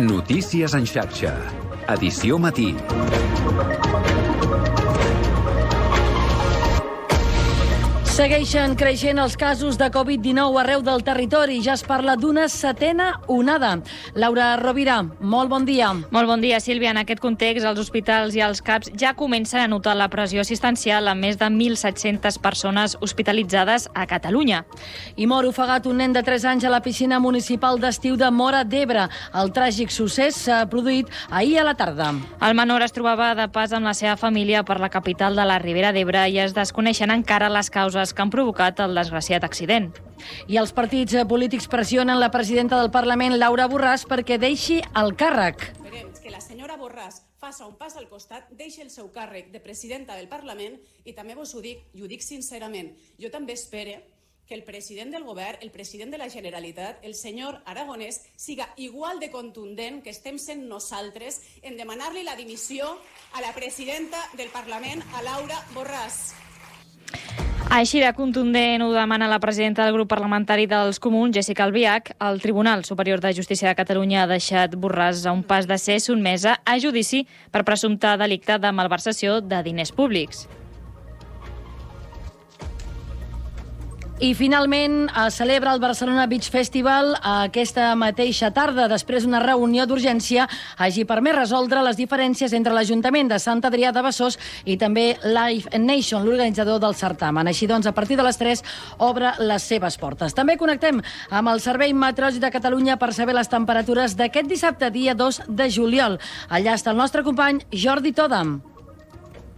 Notícies en xarxa. Edició matí. Segueixen creixent els casos de Covid-19 arreu del territori. Ja es parla d'una setena onada. Laura Rovira, molt bon dia. Molt bon dia, Sílvia. En aquest context, els hospitals i els CAPs ja comencen a notar la pressió assistencial amb més de 1.700 persones hospitalitzades a Catalunya. I mor ofegat un nen de 3 anys a la piscina municipal d'estiu de Móra d'Ebre. El tràgic succés s'ha produït ahir a la tarda. El menor es trobava de pas amb la seva família per la capital de la Ribera d'Ebre i es desconeixen encara les causes que han provocat el desgraciat accident. I els partits polítics pressionen la presidenta del Parlament, Laura Borràs, perquè deixi el càrrec. Esperem que la senyora Borràs faci un pas al costat, deixi el seu càrrec de presidenta del Parlament i també vos ho dic, i ho dic sincerament, jo també espero que el president del govern, el president de la Generalitat, el senyor Aragonès, siga igual de contundent que estem sent nosaltres en demanar-li la dimissió a la presidenta del Parlament, a Laura Borràs. Així de contundent ho demana la presidenta del grup parlamentari dels Comuns, Jéssica Albiach. El Tribunal Superior de Justícia de Catalunya ha deixat Borràs a un pas de ser sotmesa a judici per presumpte delicte de malversació de diners públics. I finalment es celebra el Barcelona Beach Festival aquesta mateixa tarda, després d'una reunió d'urgència hagi permès resoldre les diferències entre l'Ajuntament de Sant Adrià de Besòs i també Live Nation, l'organitzador del certamen. Així doncs, a partir de les 3 obre les seves portes. També connectem amb el Servei Meteorològic de Catalunya per saber les temperatures d'aquest dissabte, dia 2 de juliol. Allà està el nostre company Jordi Tòdam.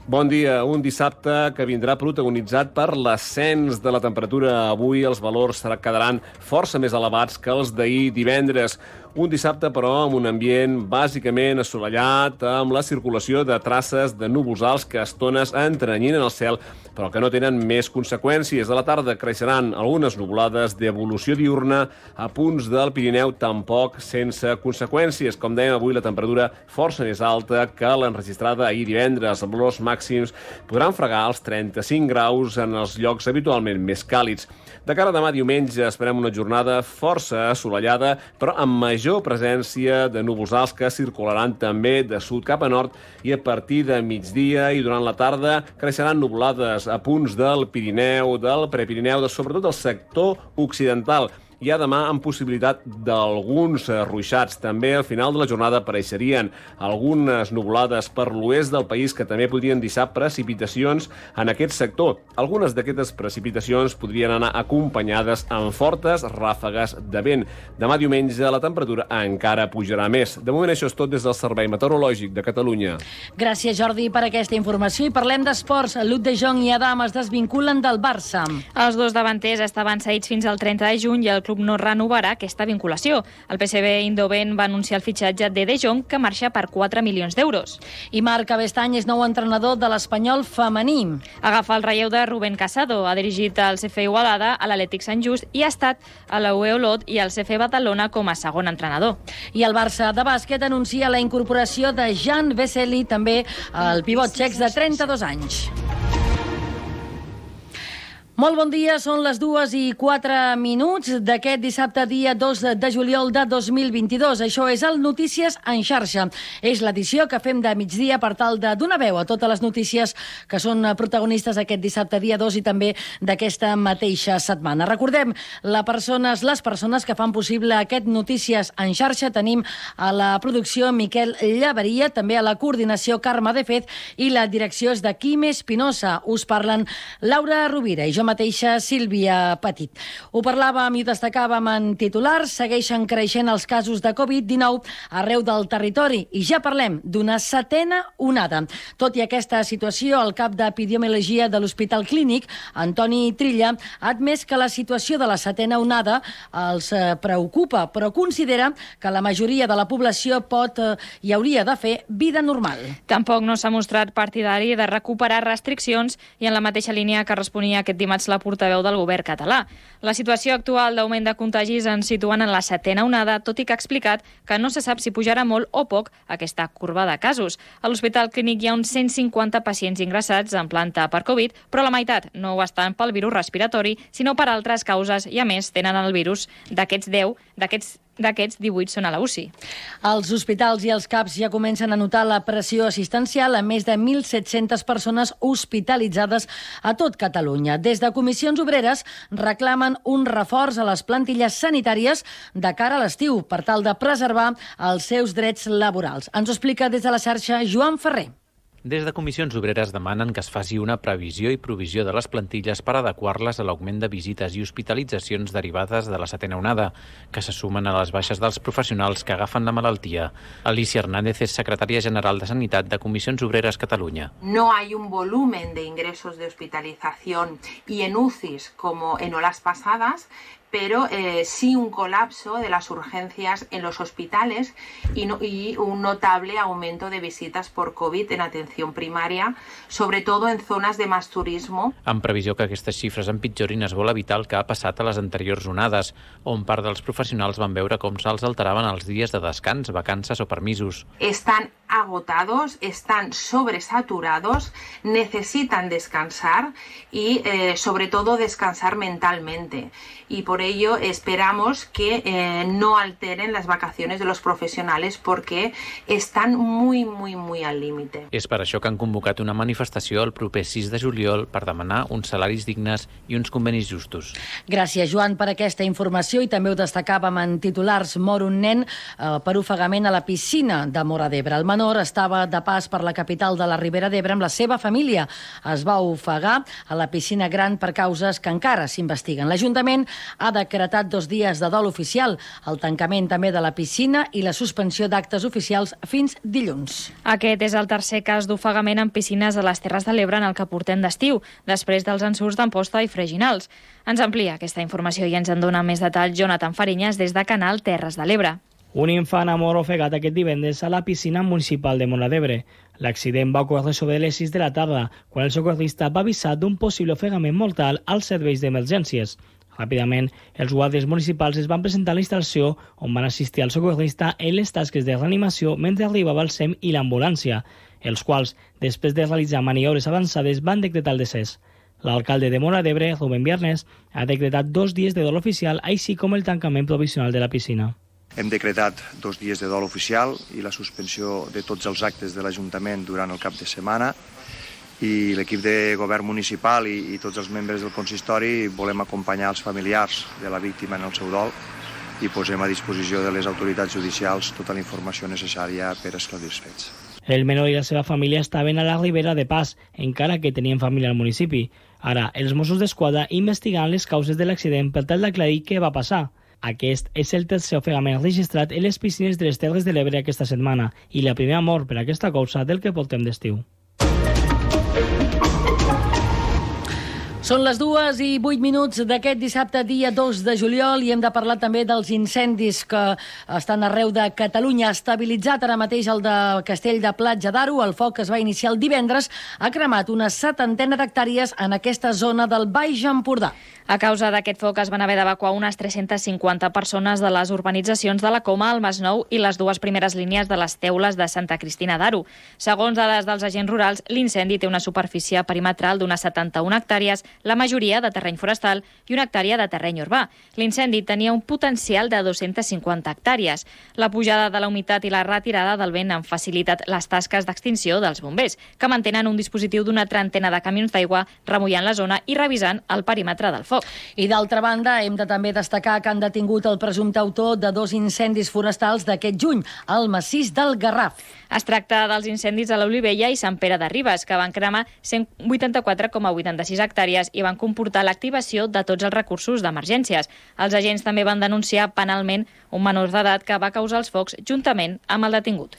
Bon dia. Un dissabte que vindrà protagonitzat per l'ascens de la temperatura. Avui els valors quedaran força més elevats que els d'ahir divendres. Un dissabte, però, amb un ambient bàsicament assolellat, amb la circulació de traces de núvols alts que a estones entrenyinen el cel, però que no tenen més conseqüències. A la tarda creixeran algunes nuvolades d'evolució diurna a punts del Pirineu, tampoc sense conseqüències. Com dèiem, avui la temperatura força més alta que l'enregistrada ahir divendres. Els valors màxims podran fregar els 35 graus en els llocs habitualment més càlids. De cara a demà diumenge esperem una jornada força assolellada, però amb major presència de núvols alts que circularan també de sud cap a nord i a partir de migdia i durant la tarda creixeran nuvolades a punts del Pirineu, del Prepirineu, sobretot del sector occidental. Hi ha demà amb possibilitat d'alguns ruixats. També al final de la jornada apareixerien algunes nuvolades per l'oest del país que també podrien deixar precipitacions en aquest sector. Algunes d'aquestes precipitacions podrien anar acompanyades amb fortes ràfegues de vent. Demà diumenge la temperatura encara pujarà més. De moment això és tot des del Servei Meteorològic de Catalunya. Gràcies, Jordi, per aquesta informació. I parlem d'esports. Luc de Jong i Adam es desvinculen del Barça. Els dos davanters estaven cedits fins al 30 de juny i el club no renovarà aquesta vinculació. El PSV Eindhoven va anunciar el fitxatge de Jong, que marxa per 4 milions d'euros. I Marc Cabestany és nou entrenador de l'Espanyol femení. Agafa el relleu de Rubén Casado. Ha dirigit el CF Igualada, a l'Atlètic Sant Just i ha estat a la UE Olot i al CF Badalona com a segon entrenador. I el Barça de bàsquet anuncia la incorporació de Jan Vesely, també el pivot txec de 32 anys. Molt bon dia, són les 2:04 d'aquest dissabte, dia 2 de juliol de 2022. Això és el Notícies en xarxa. És l'edició que fem de migdia per tal de donar veu a totes les notícies que són protagonistes aquest dissabte, dia 2 i també d'aquesta mateixa setmana. Recordem, les persones que fan possible aquest Notícies en xarxa. Tenim a la producció Miquel Llaveria, també a la coordinació Carme de Fez i la direcció és de Quim Espinosa. Us parlen Laura Rovira i jo mateixa, Sílvia Petit. Ho parlàvem i destacàvem en titulars. Segueixen creixent els casos de Covid-19 arreu del territori i ja parlem d'una setena onada. Tot i aquesta situació, el cap d'Epidemiologia de l'Hospital Clínic, Antoni Trilla, ha admès que la situació de la setena onada els preocupa, però considera que la majoria de la població pot i hauria de fer vida normal. Tampoc no s'ha mostrat partidari de recuperar restriccions i en la mateixa línia que responia aquest dimarts la portaveu del govern català. La situació actual d'augment de contagis ens situen en la setena onada, tot i que ha explicat que no se sap si pujarà molt o poc aquesta corba de casos. A l'Hospital Clínic hi ha uns 150 pacients ingressats en planta per Covid, però la meitat no ho estan pel virus respiratori, sinó per altres causes i, a més, tenen el virus d'aquests d'aquests 18 són a la UCI. Els hospitals i els CAPs ja comencen a notar la pressió assistencial a més de 1.700 persones hospitalitzades a tot Catalunya. Des de Comissions Obreres reclamen un reforç a les plantilles sanitàries de cara a l'estiu per tal de preservar els seus drets laborals. Ens ho explica des de la xarxa Joan Ferrer. Des de Comissions Obreres demanen que es faci una previsió i provisió de les plantilles per adequar-les a l'augment de visites i hospitalitzacions derivades de la setena onada, que se sumen a les baixes dels professionals que agafen la malaltia. Alicia Hernández és secretària general de Sanitat de Comissions Obreres Catalunya. No hay un volumen de ingresos de hospitalización y en UCIs como en olas pasadas, pero sí un colapso de las urgencias en los hospitales y un notable aumento de visitas por COVID en atención primaria, sobre todo en zonas de más turismo. En previsió que aquestes xifres empitjorin, es vol evitar el que ha passat a les anteriors onades, on part dels professionals van veure com se'ls alteraven els dies de descans, vacances o permisos. Están agotados, están sobresaturados, necesitan descansar y sobre todo descansar mentalmente. Y por ello esperamos que no alteren las vacaciones de los profesionales porque están muy al límite. És per això que han convocat una manifestació el proper 6 de juliol per demanar uns salaris dignes i uns convenis justos. Gràcies, Joan, per aquesta informació, i també ho destacàvem en titulars. Mor un nen per ofegament a la piscina de Móra d'Ebre. El menor estava de pas per la capital de la Ribera d'Ebre amb la seva família. Es va ofegar a la piscina gran per causes que encara s'investiguen. L'Ajuntament ha decretat 2 dies de dol oficial, el tancament també de la piscina i la suspensió d'actes oficials fins dilluns. Aquest és el tercer cas d'ofegament en piscines de les Terres de l'Ebre en el que portem d'estiu, després dels ensurts d'Amposta i Freginals. Ens amplia aquesta informació i ens en dona més detall Jonathan Fariñas des de Canal Terres de l'Ebre. Un infant ha mort ofegat aquest divendres a la piscina municipal de Móra d'Ebre. L'accident va ocórrer sobre les 6 de la tarda, quan el socorrista va avisar d'un possible ofegament mortal als serveis d'emergències. Ràpidament, els guàrdies municipals es van presentar a la instal·lació on van assistir al socorrista en les tasques de reanimació mentre arribava el SEM i l'ambulància, els quals, després de realitzar maniobres avançades, van decretar el decés. L'alcalde de Móra d'Ebre, Rubén Viernes, ha decretat 2 dies de dol oficial, així com el tancament provisional de la piscina. Hem decretat 2 dies de dol oficial i la suspensió de tots els actes de l'Ajuntament durant el cap de setmana, i l'equip de govern municipal i tots els membres del consistori volem acompanyar els familiars de la víctima en el seu dol i posem a disposició de les autoritats judicials tota la informació necessària per esclarir els fets. El menor i la seva família estaven a la Ribera de Pas, encara que tenien família al municipi. Ara, els Mossos d'Esquadra investiguen les causes de l'accident per tal d'aclarir què va passar. Aquest és el tercer ofegament registrat en les piscines de les Terres de l'Ebre aquesta setmana i la primera mort per aquesta causa del que portem d'estiu. Són les 2:08 d'aquest dissabte, dia 2 de juliol, i hem de parlar també dels incendis que estan arreu de Catalunya. Estabilitzat ara mateix el de Castell de Platja d'Aro, el foc que es va iniciar el divendres ha cremat una 70 d'hectàrees en aquesta zona del Baix Empordà. A causa d'aquest foc es van haver d'evacuar unes 350 persones de les urbanitzacions de la Coma, el Masnou i les 2 primeres línies de les teules de Santa Cristina d'Aro. Segons dades dels agents rurals, l'incendi té una superfície perimetral d'unes 71 hectàrees, la majoria de terreny forestal i 1 hectàrea de terreny urbà. L'incendi tenia un potencial de 250 hectàrees. La pujada de la humitat i la retirada del vent han facilitat les tasques d'extinció dels bombers, que mantenen un dispositiu d'una trentena de camions d'aigua remullant la zona i revisant el perímetre del foc. I d'altra banda, hem de també destacar que han detingut el presumpte autor de 2 incendis forestals d'aquest juny, al massís del Garraf. Es tracta dels incendis a l'Olivella i Sant Pere de Ribes, que van cremar 184,86 hectàrees i van comportar l'activació de tots els recursos d'emergències. Els agents també van denunciar penalment un menor d'edat que va causar els focs juntament amb el detingut.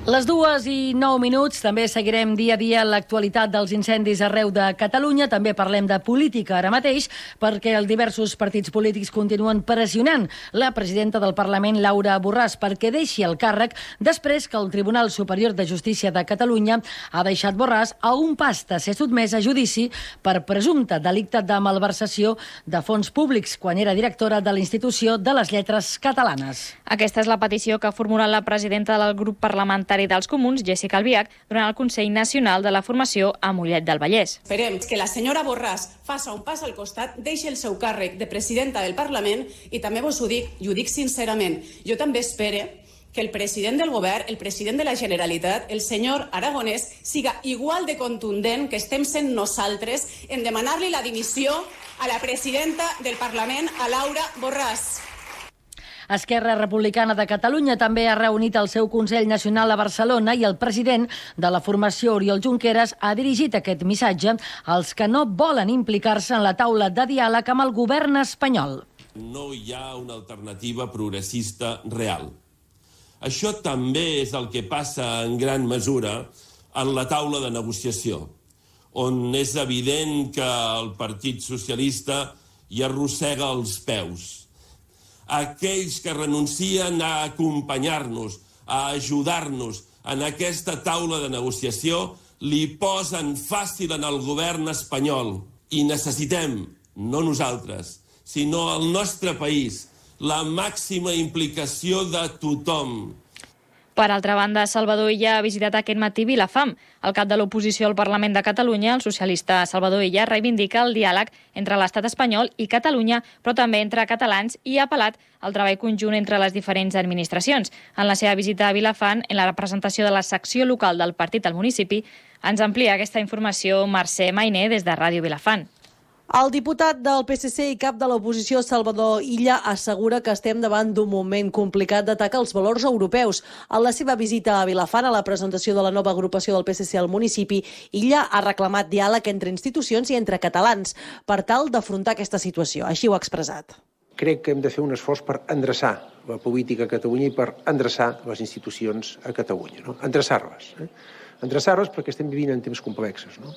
Les 2:09, també seguirem dia a dia l'actualitat dels incendis arreu de Catalunya. També parlem de política ara mateix, perquè els diversos partits polítics continuen pressionant la presidenta del Parlament, Laura Borràs, perquè deixi el càrrec després que el Tribunal Superior de Justícia de Catalunya ha deixat Borràs a un pas de ser sotmès a judici per presumpte delicte de malversació de fons públics quan era directora de l'Institució de les Lletres Catalanes. Aquesta és la petició que ha formulat la presidenta del grup parlamentari parlamentari dels Comuns, Jessica Albiach, durant el Consell Nacional de la Formació a Mollet del Vallès. Esperem que la senyora Borràs faça un pas al costat, deixi el seu càrrec de presidenta del Parlament i també vos ho dic, i ho dic sincerament, jo també espero que el president del govern, el president de la Generalitat, el senyor Aragonès, siga igual de contundent que estem sent nosaltres en demanar-li la dimissió a la presidenta del Parlament, a Laura Borràs. Esquerra Republicana de Catalunya també ha reunit el seu Consell Nacional a Barcelona i el president de la formació, Oriol Junqueras, ha dirigit aquest missatge als que no volen implicar-se en la taula de diàleg amb el govern espanyol. No hi ha una alternativa progressista real. Això també és el que passa en gran mesura en la taula de negociació, on és evident que el Partit Socialista hi arrossega els peus. Aquells que renuncien a acompanyar-nos, a ajudar-nos en aquesta taula de negociació, li posen fàcil en el govern espanyol. I necessitem, no nosaltres, sinó el nostre país, la màxima implicació de tothom. Per altra banda, Salvador Illa ha visitat aquest matí Vilafant. El cap de l'oposició al Parlament de Catalunya, el socialista Salvador Illa, reivindica el diàleg entre l'estat espanyol i Catalunya, però també entre catalans, i ha apel·lat al treball conjunt entre les diferents administracions. En la seva visita a Vilafant, en la representació de la secció local del partit al municipi, ens amplia aquesta informació Mercè Mainer des de Ràdio Vilafant. El diputat del PSC i cap de l'oposició, Salvador Illa, assegura que estem davant d'un moment complicat d'atac als valors europeus. En la seva visita a Vilafant, a la presentació de la nova agrupació del PSC al municipi, Illa ha reclamat diàleg entre institucions i entre catalans per tal d'afrontar aquesta situació. Així ho ha expressat. Crec que hem de fer un esforç per endreçar la política a Catalunya i per endreçar les institucions a Catalunya. No? Endreçar-les. Endreçar-les perquè estem vivint en temps complexos. No?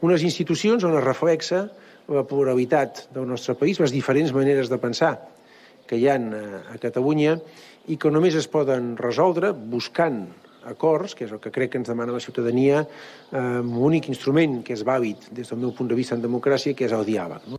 Unes institucions on es reflexa la pluralitat del nostre país, les diferents maneres de pensar que hi ha a Catalunya i que només es poden resoldre buscant acords, que és el que crec que ens demana la ciutadania, amb un únic instrument que és vàlid des del meu punt de vista en democràcia, que és el diàleg.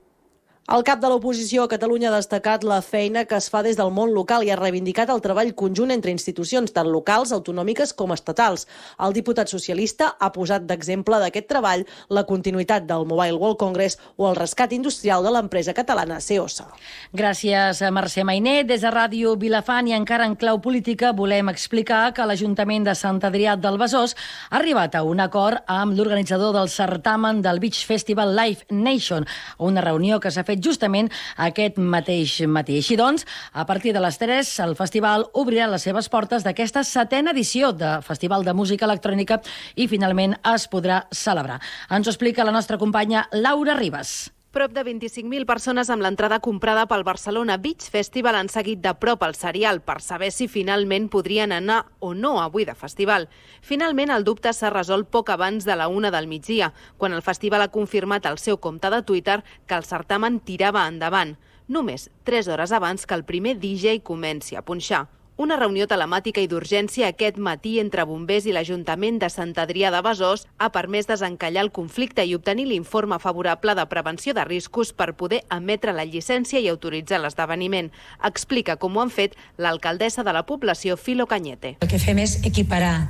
El cap de l'oposició a Catalunya ha destacat la feina que es fa des del món local i ha reivindicat el treball conjunt entre institucions, tant locals, autonòmiques com estatals. El diputat socialista ha posat d'exemple d'aquest treball la continuïtat del Mobile World Congress o el rescat industrial de l'empresa catalana CEOSA. Gràcies a Mercè Mainer. Des de Ràdio Vilafant i encara en clau política volem explicar que l'Ajuntament de Sant Adrià del Besòs ha arribat a un acord amb l'organitzador del certamen del Beach Festival Live Nation, una reunió que s'ha fet justament aquest mateix matí. Així doncs, a partir de les 3, el festival obrirà les seves portes d'aquesta 7ª edició de Festival de Música Electrònica i finalment es podrà celebrar. Ens ho explica la nostra companya Laura Ribas. Prop de 25.000 persones amb l'entrada comprada pel Barcelona Beach Festival han seguit de prop el serial per saber si finalment podrien anar o no avui de festival. Finalment, el dubte s'ha resolt poc abans de la 1 del migdia, quan el festival ha confirmat al seu compte de Twitter que el certamen tirava endavant, només 3 hores abans que el primer DJ comenci a punxar. Una reunió telemàtica i d'urgència aquest matí entre bombers i l'Ajuntament de Sant Adrià de Besòs ha permès desencallar el conflicte i obtenir l'informe favorable de prevenció de riscos per poder emetre la llicència i autoritzar l'esdeveniment. Explica com ho han fet l'alcaldessa de la població, Filo Cañete. El que fem és equiparar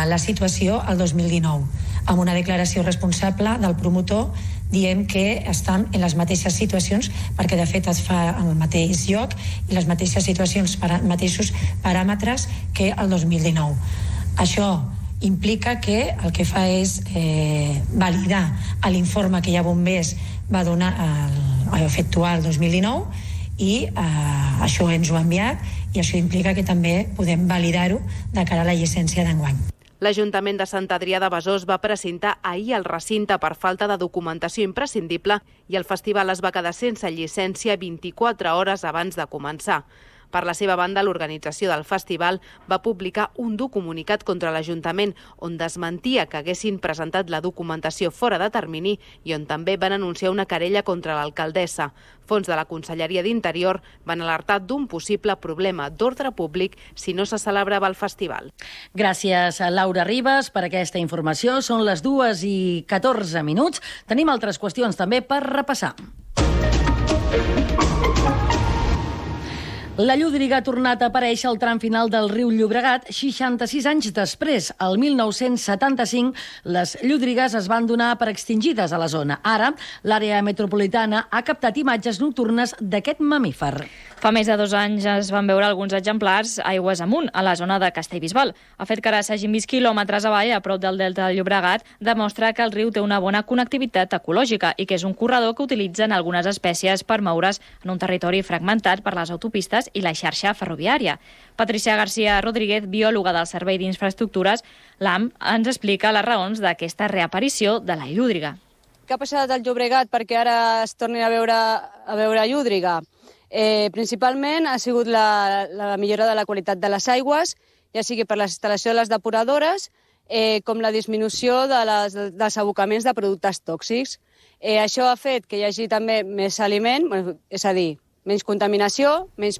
la situació al 2019, amb una declaració responsable del promotor diem que estan en les mateixes situacions perquè de fet es fa en el mateix lloc i les mateixes situacions, mateixos paràmetres que el 2019. Això implica que el que fa és validar l'informe que ja Bombers va donar a efectuar el 2019 i això ens ho ha enviat i això implica que també podem validar-ho de cara a la llicència d'enguany. L'Ajuntament de Sant Adrià de Besòs va precintar ahir el recinte per falta de documentació imprescindible i el festival es va quedar sense llicència 24 hores abans de començar. Per la seva banda, l'organització del festival va publicar un dur comunicat contra l'Ajuntament on desmentia que haguessin presentat la documentació fora de termini i on també van anunciar una querella contra l'alcaldessa. Fons de la Conselleria d'Interior van alertar d'un possible problema d'ordre públic si no se celebrava el festival. Gràcies a Laura Ribas per aquesta informació. Són les 2:14. Tenim altres qüestions també per repassar. La llúdriga ha tornat a aparèixer al tram final del riu Llobregat 66 anys després. El 1975, les llúdrigues es van donar per extingides a la zona. Ara, l'àrea metropolitana ha captat imatges nocturnes d'aquest mamífer. Fa més de 2 anys es van veure alguns exemplars aigües amunt, a la zona de Castellbisbal. El fet que ara s'hagin vist quilòmetres avall, a prop del delta del Llobregat, demostra que el riu té una bona connectivitat ecològica i que és un corredor que utilitzen algunes espècies per moure's en un territori fragmentat per les autopistes i la xarxa ferroviària. Patricia García Rodríguez, biòloga del Servei d'Infraestructures, l'AM, ens explica les raons d'aquesta reaparició de la llúdriga. Què ha passat al Llobregat perquè ara es torni a veure llúdriga? Principalment ha sigut la millora de la qualitat de les aigües, ja sigui per la instal·lació de les depuradores, com la disminució dels abocaments de productes tòxics. Això ha fet que hi hagi també més aliment, és a dir, menys contaminació, més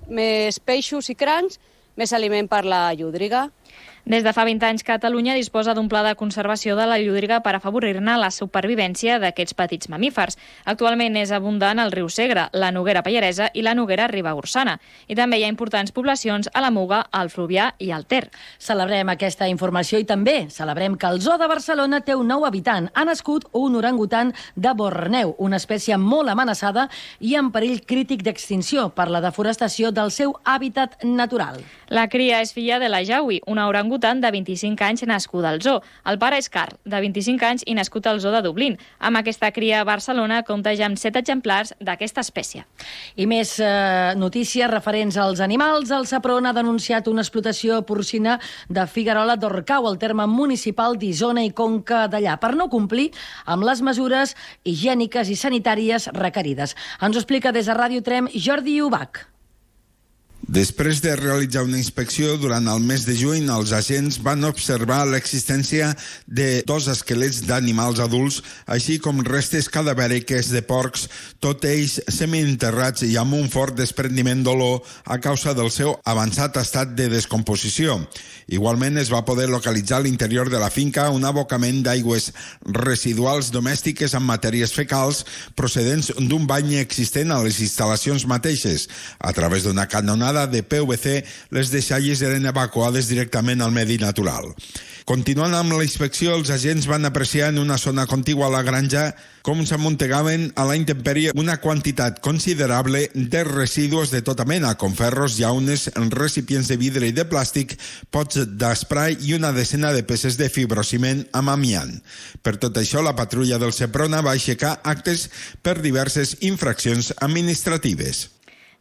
peixos i crancs, més aliment per la llúdriga. Des de fa 20 anys, Catalunya disposa d'un pla de conservació de la llúdriga per afavorir-ne la supervivència d'aquests petits mamífers. Actualment és abundant el riu Segre, la Noguera Pallaresa i la Noguera Ribagorçana. I també hi ha importants poblacions a la Muga, al Fluvià i al Ter. Celebrem aquesta informació i també celebrem que el Zoo de Barcelona té un nou habitant. Ha nascut un orangutan de Borneo, una espècie molt amenaçada i en perill crític d'extinció per la deforestació del seu hàbitat natural. La cria és filla de la Jaui, una orangutan de 25 anys nascuda al zoo. El pare és Carl, de 25 anys i nascut al zoo de Dublín. Amb aquesta cria, Barcelona compta ja amb 7 exemplars d'aquesta espècie. I més notícies referents als animals. El Sepron ha denunciat una explotació porcina de Figuerola d'Orcau, al terme municipal d'Isona i Conca d'Allà, per no complir amb les mesures higièniques i sanitàries requerides. Ens ho explica des de Ràdio Trem Jordi Ubach. Després de realitzar una inspecció durant el mes de juny, els agents van observar l'existència de 2 esquelets d'animals adults, així com restes cadavèriques de porcs, tot ells semienterrats i amb un fort desprendiment d'olor a causa del seu avançat estat de descomposició. Igualment es va poder localitzar a l'interior de la finca un abocament d'aigües residuals domèstiques amb matèries fecals procedents d'un bany existent a les instal·lacions mateixes. A través d'una canonada de PVC, les deixalles eren evacuades directament al medi natural. Continuant amb la inspecció, els agents van apreciar en una zona contigua a la granja com s'amuntegaven a la intempèrie una quantitat considerable de residus de tota mena, com ferros, llaunes, recipients de vidre i de plàstic, pots d'esprai i una decena de peces de fibrociment amb amiant. Per tot això, la patrulla del Seprona va aixecar actes per diverses infraccions administratives.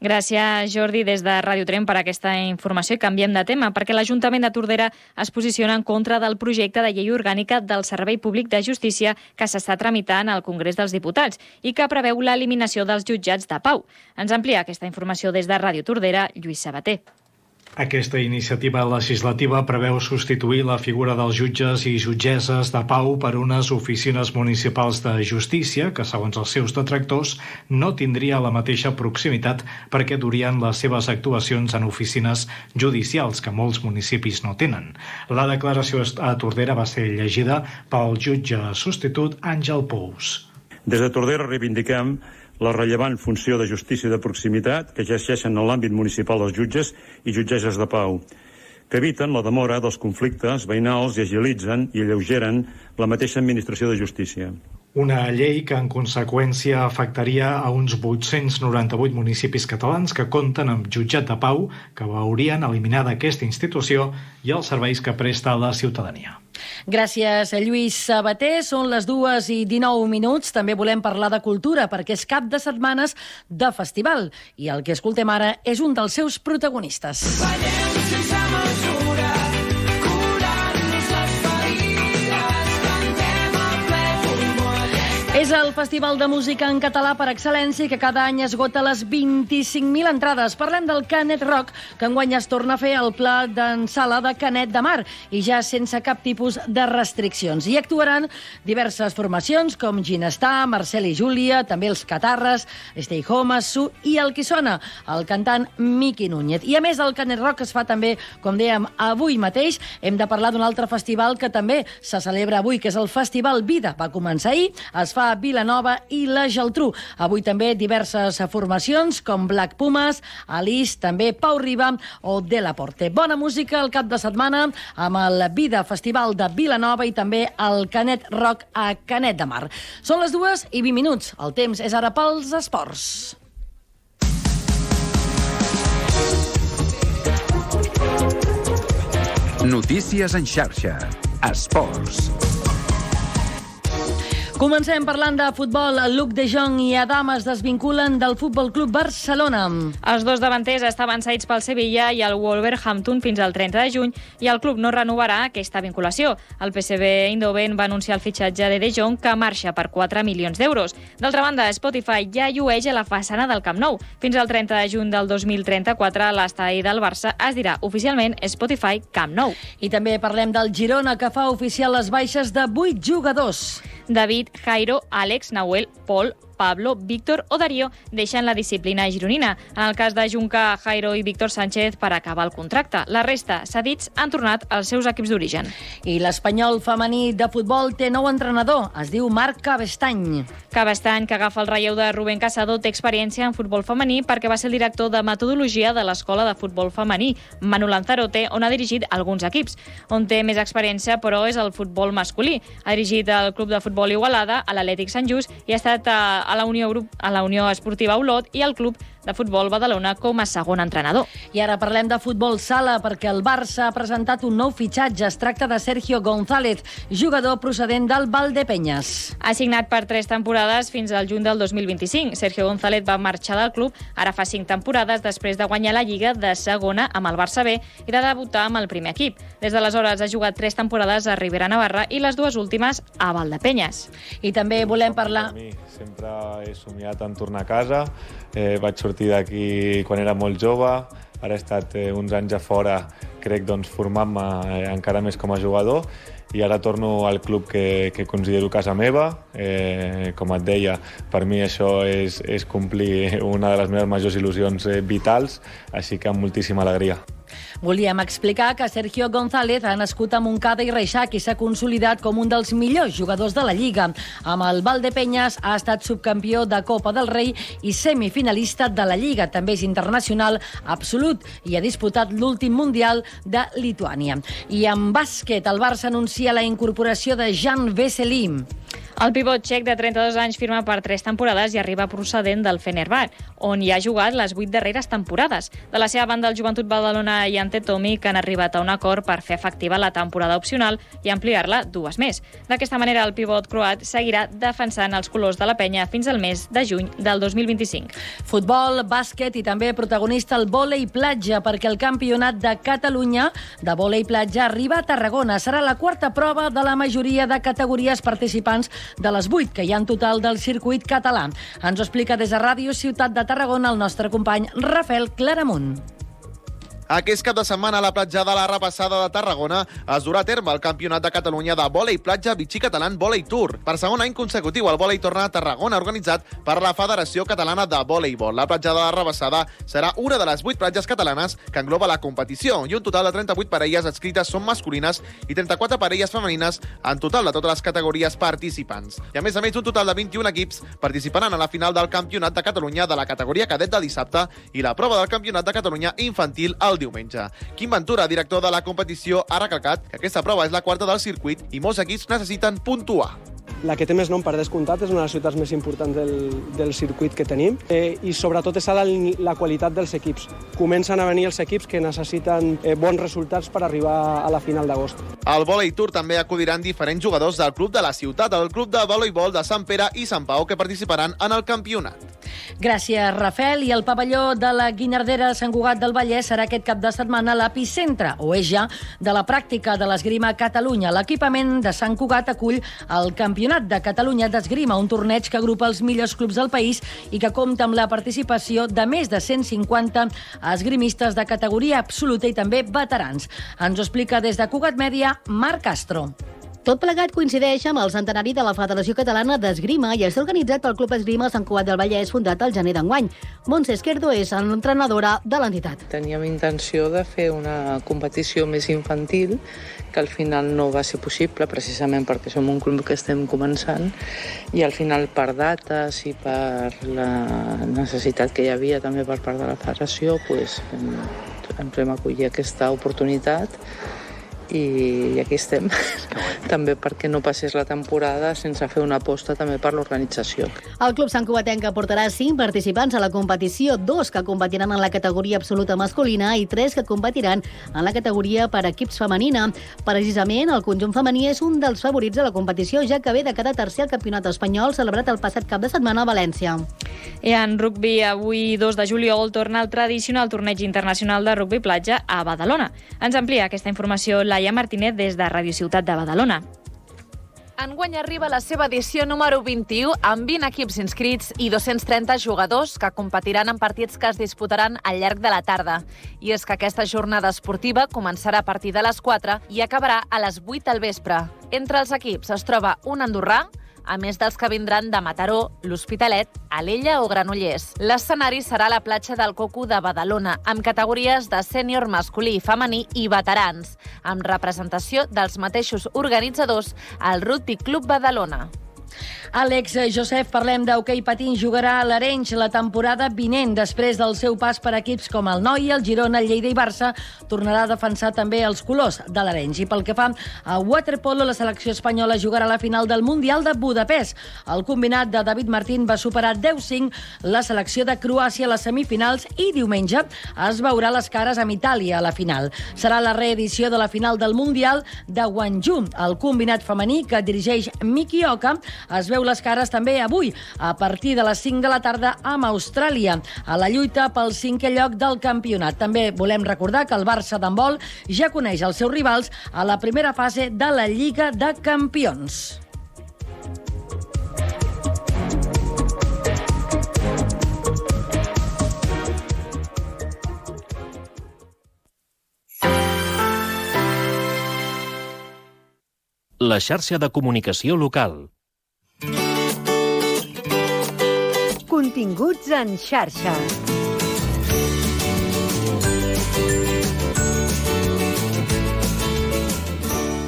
Gràcies, Jordi, des de Ràdio Trem per aquesta informació. I canviem de tema, perquè l'Ajuntament de Tordera es posiciona en contra del projecte de llei orgànica del Servei Públic de Justícia que s'està tramitant al Congrés dels Diputats i que preveu l'eliminació dels jutjats de pau. Ens amplia aquesta informació des de Ràdio Tordera, Lluís Sabater. Aquesta iniciativa legislativa preveu substituir la figura dels jutges i jutgesses de pau per unes oficines municipals de justícia que, segons els seus detractors, no tindria la mateixa proximitat perquè durien les seves actuacions en oficines judicials que molts municipis no tenen. La declaració a Tordera va ser llegida pel jutge substitut Àngel Pous. Des de Tordera reivindiquem la rellevant funció de justícia de proximitat que exerceixen en l'àmbit municipal dels jutges i jutgesses de pau, que eviten la demora dels conflictes veïnals i agilitzen i alleugeren la mateixa administració de justícia. Una llei que en conseqüència afectaria a uns 898 municipis catalans que compten amb jutjat de pau, que veurien eliminada aquesta institució i els serveis que presta a la ciutadania. Gràcies, Lluís Sabater. Són les 2:19. També volem parlar de cultura, perquè és cap de setmanes de festival. I el que escoltem ara és un dels seus protagonistes. Ballem sense mesura, curant-nos les ferides, cantem a ple pulmó. És el festival de música en català per excel·lència que cada any esgota les 25.000 entrades. Parlem del Canet Rock, que enguany es torna a fer al Pla d'en Sala de Canet de Mar i ja sense cap tipus de restriccions. Hi actuaran diverses formacions com Ginestar, Marcel i Júlia, també els Catarres, Stay Home, Su i el qui sona, el cantant Miqui Núñez. I a més el Canet Rock es fa també, com dèiem, avui mateix. Hem de parlar d'un altre festival que també se celebra avui, que és el Festival Vida. Va començar ahir, es fa Vilanova i la Geltrú. Avui també diverses formacions com Black Pumas, Alice, també Pau Riba o De La Porte. Bona música el cap de setmana amb el Vida Festival de Vilanova i també el Canet Rock a Canet de Mar. Són les 2:20. El temps és ara pels esports. Notícies en xarxa. Esports. Comencem parlant de futbol. Luc de Jong i Adam es desvinculen del Futbol Club Barcelona. Els dos davanters estaven cedits pel Sevilla i el Wolverhampton fins al 30 de juny i el club no renovarà aquesta vinculació. El PSV Eindhoven va anunciar el fitxatge de Jong, que marxa per 4 milions d'euros. D'altra banda, Spotify ja llueix a la façana del Camp Nou. Fins al 30 de juny del 2034, l'estadi del Barça es dirà oficialment Spotify Camp Nou. I també parlem del Girona, que fa oficial les baixes de 8 jugadors. David, Jairo, Àlex, Nahuel, Pol, Pablo, Víctor o Darío deixen la disciplina gironina. En el cas de Junca, Jairo i Víctor Sánchez per acabar el contracte. La resta, cedits, han tornat als seus equips d'origen. I l'Espanyol femení de futbol té nou entrenador. Es diu Marc Cabestany. Cabestany, que agafa el relleu de Rubén Casado, té experiència en futbol femení perquè va ser el director de metodologia de l'Escola de Futbol Femení, Manu Lanzarote, on ha dirigit alguns equips. On té més experiència, però, és el futbol masculí. Ha dirigit el Club de Futbol Igualada, a l'Atlètic Sant Just, i ha estat a la Unió Esportiva Olot i al Club de Futbol Badalona com a segon entrenador. I ara parlem de futbol sala perquè el Barça ha presentat un nou fitxatge. Es tracta de Sergio González, jugador procedent del Valdepeñas. Ha signat per 3 temporades fins al juny del 2025. Sergio González va marxar del club ara fa 5 temporades després de guanyar la Lliga de segona amb el Barça B i de debutar amb el primer equip. Des d'aleshores ha jugat 3 temporades a Ribera Navarra i les 2 últimes a Valdepeñas. I també volem parlar... Sempre he somiat en tornar a casa. Vaig sortir d'aquí quan era molt jove. Ara he estat uns anys a fora, crec, formant-me encara més com a jugador. I ara torno al club que considero casa meva. Com et deia, per mi això és complir una de les meves majors il·lusions vitals, així que amb moltíssima alegria. Volíem explicar que Sergio González ha nascut a Montcada i Reixac i s'ha consolidat com un dels millors jugadors de la Lliga. Amb el Valdepeñas ha estat subcampió de Copa del Rei i semifinalista de la Lliga. També és internacional absolut i ha disputat l'últim Mundial de Lituània. I en bàsquet, el Barça anuncia la incorporació de Jan Veselý. El pivot txec de 32 anys firma per 3 temporades i arriba procedent del Fenerbahçe, on hi ha jugat les 8 darreres temporades. De la seva banda, el Joventut Badalona i Ante Tomic han arribat a un acord per fer efectiva la temporada opcional i ampliar-la 2 més. D'aquesta manera, el pivot croat seguirà defensant els colors de la penya fins al mes de juny del 2025. Futbol, bàsquet i també protagonista el vòlei platja, perquè el Campionat de Catalunya de vòlei platja arriba a Tarragona. Serà la 4a prova de la majoria de categories participants de les 8 que hi ha en total del circuit català. Ens ho explica des de Ràdio Ciutat de Tarragona el nostre company Rafael Claramunt. Aquest cap de setmana a la platja de la Repassada de Tarragona es durà a terme el Campionat de Catalunya de vòlei platja Vichy Catalan Vòlei Tour. Per segon any consecutiu, el vòlei torna a Tarragona, organitzat per la Federació Catalana de Vòleibol. La platja de la Repassada serà una de les 8 platges catalanes que engloba la competició i un total de 38 parelles adscrites són masculines i 34 parelles femenines en total de totes les categories participants. I a més, un total de 21 equips participaran a la final del Campionat de Catalunya de la categoria cadet de dissabte i la prova del Campionat de Catalunya infantil el diumenge. Quim Ventura, director de la competició, ha recalcat que aquesta prova és la 4a del circuit i molts equips necessiten puntuar. La que té més nom per descomptat és una de les ciutats més importants del circuit que tenim i sobretot és la qualitat dels equips. Comencen a venir els equips que necessiten bons resultats per arribar a la final d'agost. Al Vòlei Tour també acudiran diferents jugadors del club de la ciutat, el club de voleibol de Sant Pere i Sant Pau, que participaran en el campionat. Gràcies, Rafael. I el pavelló de la Guinardera de Sant Cugat del Vallès serà aquest cap de setmana l'epicentre, o és ja, de la pràctica de l'esgrima a Catalunya. L'equipament de Sant Cugat acull el Campionat de Catalunya d'Esgrima, un torneig que agrupa els millors clubs del país i que compta amb la participació de més de 150 esgrimistes de categoria absoluta i també veterans. Ens ho explica des de Cugat Mèdia, Marc Castro. Tot plegat coincideix amb el centenari de la Federació Catalana d'Esgrima i està organitzat pel Club Esgrima Sant Cugat del Vallès, fundat al gener d'enguany. Montse Esquerdo és l'entrenadora de l'entitat. Teníem intenció de fer una competició més infantil, que al final no va ser possible, precisament perquè som un club que estem començant, i al final per dates i per la necessitat que hi havia també per part de la federació, ens vam acollir aquesta oportunitat i aquí estem. També perquè no passés la temporada sense fer una aposta també per l'organització. El Club Sant Cugatenc aportarà 5 participants a la competició, 2 que competiran en la categoria absoluta masculina i 3 que competiran en la categoria per equips femenina. Precisament, el conjunt femení és un dels favorits de la competició, ja que ve de quedar tercer al campionat espanyol celebrat el passat cap de setmana a València. I en rugby, avui 2 de juliol, torna el tradicional torneig internacional de rugby platja a Badalona. Ens amplia aquesta informació Laia Martínez des de Radio Ciutat de Badalona. Enguany arriba la seva edició número 21 amb 20 equips inscrits i 230 jugadors que competiran en partits que es disputaran al llarg de la tarda. I és que aquesta jornada esportiva començarà a partir de les 4 i acabarà a les 8 del vespre. Entre els equips es troba un andorrà, a més dels que vindran de Mataró, l'Hospitalet, Alella o Granollers. L'escenari serà la platja del Coco de Badalona, amb categories de sènior masculí i femení i veterans, amb representació dels mateixos organitzadors al Rugby Club Badalona. Àlex Josep, parlem d'hoquei patins, jugarà a l'Arenys la temporada vinent. Després del seu pas per equips com el Noi, el Girona, el Lleida i Barça, tornarà a defensar també els colors de l'Arenys. I pel que fa a waterpolo, la selecció espanyola jugarà a la final del Mundial de Budapest. El combinat de David Martín va superar 10-5 la selecció de Croàcia a les semifinals i diumenge es veurà les cares amb Itàlia a la final. Serà la reedició de la final del Mundial de Guangzhou. El combinat femení que dirigeix Miki Oka es veu les cares també avui, a partir de les 5 de la tarda amb Austràlia, a la lluita pel 5è lloc del campionat. També volem recordar que el Barça d'handbol ja coneix els seus rivals a la primera fase de la Lliga de Campions. La xarxa de comunicació local. Continguts en xarxa.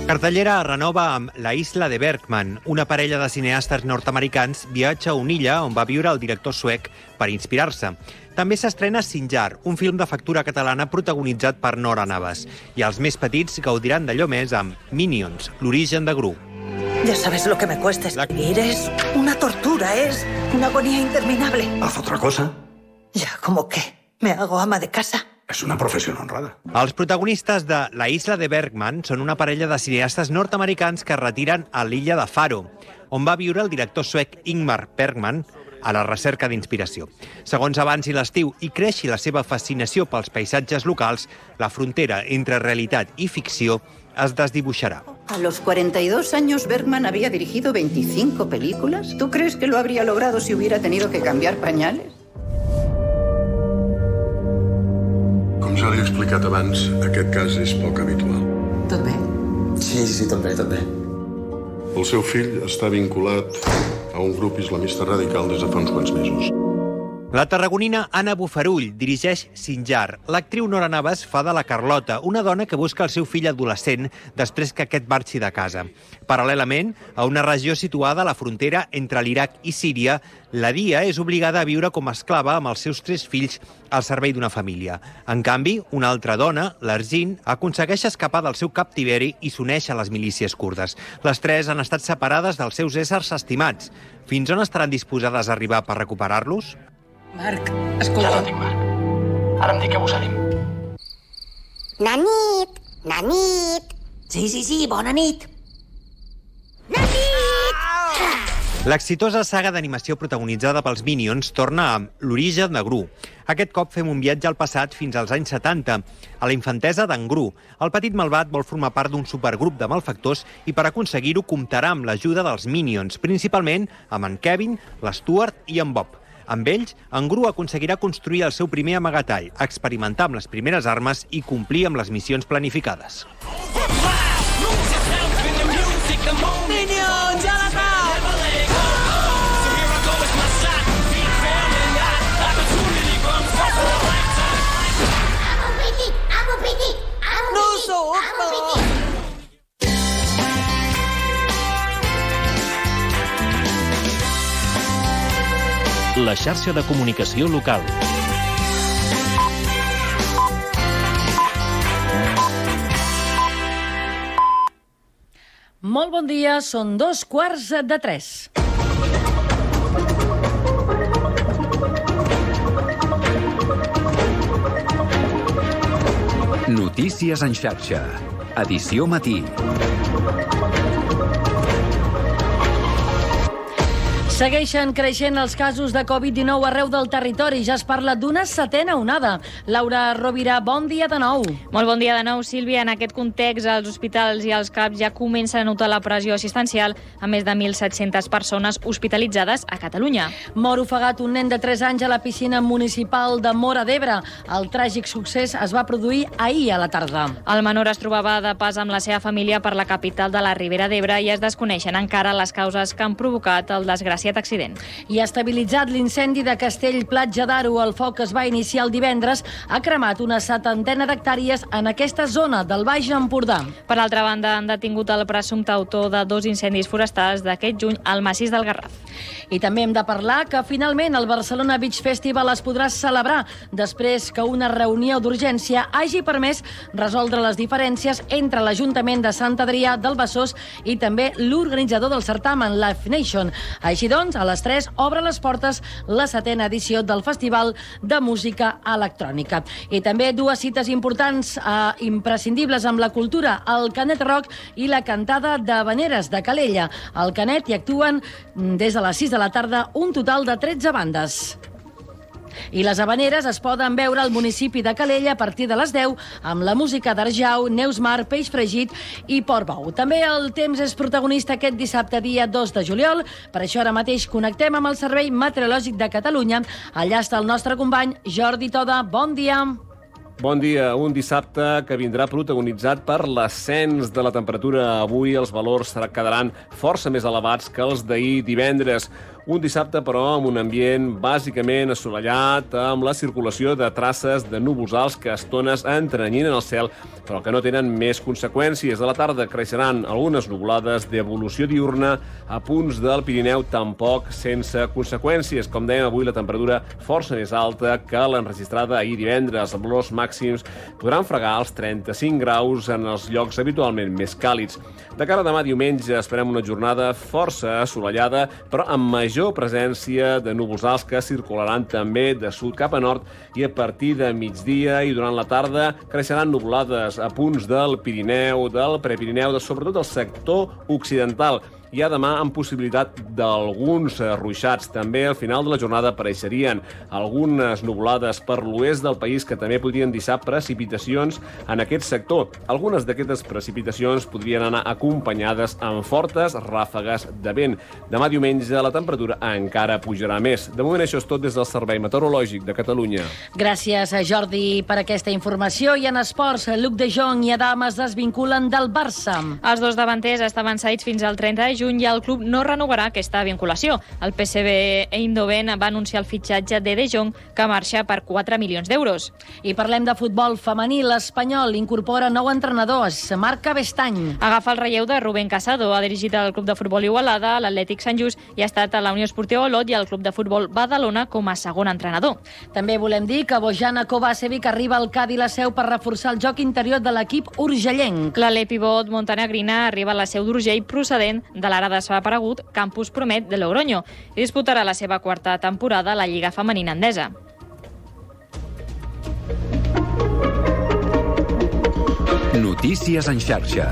Cartellera es renova amb La Isla de Bergman. Una parella de cineastes nord-americans viatja a una illa on va viure el director suec per inspirar-se. També s'estrena Sinjar, un film de factura catalana protagonitzat per Nora Navas. I els més petits gaudiran d'allò més amb Minions, l'origen de Gru. Ya sabes lo que me cuesta escribir. Es una tortura, es una agonía interminable. Haz otra cosa. Ya, ¿cómo qué? ¿Me hago ama de casa? És una professió honrada. Els protagonistes de La Isla de Bergman són una parella de cineastes nord-americans que es retiren a l'illa de Faro, on va viure el director suec Ingmar Bergman a la recerca d'inspiració. Segons avanci l'estiu i creixi la seva fascinació pels paisatges locals, la frontera entre realitat i ficció es desdibuixarà. A los 42 años Bergman había dirigido 25 películas. ¿Tú crees que lo habría logrado si hubiera tenido que cambiar pañales? Com ja li he explicat abans, aquest cas és poc habitual. Tot bé? Sí, tot bé. El seu fill està vinculat a un grup islamista radical des de fa uns quants mesos. La tarragonina Anna Bufarull dirigeix Sinjar. L'actriu Nora Navas fa de la Carlota, una dona que busca el seu fill adolescent després que aquest marxi de casa. Paral·lelament, a una regió situada a la frontera entre l'Iraq i Síria, la Dia és obligada a viure com a esclava amb els seus 3 fills al servei d'una família. En canvi, una altra dona, l'Arzin, aconsegueix escapar del seu captiveri i s'uneix a les milícies kurdes. Les 3 han estat separades dels seus éssers estimats. Fins on estaran disposades a arribar per recuperar-los? Marc, escolta... Ja la tinc, Marc. Ara em dic que abusarim. Nanit! Sí, bona nit! L'exitosa saga d'animació protagonitzada pels Minions torna amb l'origen de Gru. Aquest cop fem un viatge al passat fins als anys 70, a la infantesa d'en Gru. El petit malvat vol formar part d'un supergrup de malfactors i per aconseguir-ho comptarà amb l'ajuda dels Minions, principalment amb en Kevin, l'Stuart i en Bob. Amb ells, en Gru aconseguirà construir el seu primer amagatall, experimentar amb les primeres armes i complir amb les missions planificades. Minions, a l'atac! No sóc, però... La xarxa de comunicació local. Molt bon dia, són 2:15. Notícies en xarxa. Edició matí. Segueixen creixent els casos de Covid-19 arreu del territori. Ja es parla d'una setena onada. Laura Rovira, bon dia de nou. Molt bon dia de nou, Sílvia. En aquest context, els hospitals i els CAPs ja comencen a notar la pressió assistencial a més de 1.700 persones hospitalitzades a Catalunya. Mor ofegat un nen de 3 anys a la piscina municipal de Móra d'Ebre. El tràgic succés es va produir ahir a la tarda. El menor es trobava de pas amb la seva família per la capital de la Ribera d'Ebre i es desconeixen encara les causes que han provocat el desgraciat accident. I ha estabilitzat l'incendi de Castell-Platja d'Aro. El foc es va iniciar el divendres. Ha cremat una 70 d'hectàrees en aquesta zona del Baix Empordà. Per altra banda, han detingut el presumpte autor de 2 incendis forestals d'aquest juny al massís del Garraf. I també hem de parlar que finalment el Barcelona Beach Festival es podrà celebrar després que una reunió d'urgència hagi permès resoldre les diferències entre l'Ajuntament de Sant Adrià del Besòs i també l'organitzador del certamen, Live Nation. Així doncs, a les 3 obre les portes la 7a edició del Festival de Música Electrònica. I també 2 cites importants imprescindibles amb la cultura, el Canet Rock i la cantada d'Havaneres de Calella. Al Canet hi actuen des de les 6 de la tarda un total de 13 bandes. I les Havaneres es poden veure al municipi de Calella a partir de les 10 amb la música d'Arjau, Neus Mar, Peix Fregit i Portbou. També el temps és protagonista aquest dissabte, dia 2 de juliol. Per això ara mateix connectem amb el Servei Meteorològic de Catalunya. Allà està el nostre company Jordi Toda. Bon dia. Bon dia. Un dissabte que vindrà protagonitzat per l'ascens de la temperatura. Avui els valors quedaran força més elevats que els d'ahir divendres. Un dissabte, però, amb un ambient bàsicament assolellat, amb la circulació de traces de núvols alts que a estones entrenyinen el cel, però que no tenen més conseqüències. A la tarda creixeran algunes nuvolades d'evolució diurna a punts del Pirineu, tampoc sense conseqüències. Com dèiem, avui la temperatura força més alta que l'enregistrada ahir divendres. Els valors màxims podran fregar els 35 graus en els llocs habitualment més càlids. De cara a demà diumenge esperem una jornada força assolellada, però amb major presència de núvols alts que circularan també de sud cap a nord i a partir de migdia i durant la tarda creixeran nuvolades a punts del Pirineu, del Prepirineu, sobretot del sector occidental. Hi ha demà amb possibilitat d'alguns ruixats. També al final de la jornada apareixerien algunes nuvolades per l'oest del país que també podrien deixar precipitacions en aquest sector. Algunes d'aquestes precipitacions podrien anar acompanyades amb fortes ràfegues de vent. Demà diumenge la temperatura encara pujarà més. De moment això és tot des del Servei Meteorològic de Catalunya. Gràcies, Jordi, per aquesta informació. I en esports, Luc de Jong i Adam es desvinculen del Barça. Els dos davanters estaven cedits fins al 30 de juny i el club no renovarà aquesta vinculació. El PSV Eindhoven va anunciar el fitxatge de Jong, que marxa per 4 milions d'euros. I parlem de futbol femení. L'Espanyol incorpora nou entrenador, Marc Bestany. Agafa el relleu de Rubén Casado. Ha dirigit el club de futbol Igualada, l'Atlètic Sant Just i ha estat a la Unió Esportiva Olot i al club de futbol Badalona com a segon entrenador. També volem dir que Bojana Kovacevic arriba al Cádiz la seu per reforçar el joc interior de l'equip urgellenc. L'alè pivot montenegrina arriba a la seu d'Urgell procedent de l'ara desaparegut Campus Promet de Logroño i disputarà la seva 4a temporada a la Lliga Femenina Endesa. Notícies en xarxa.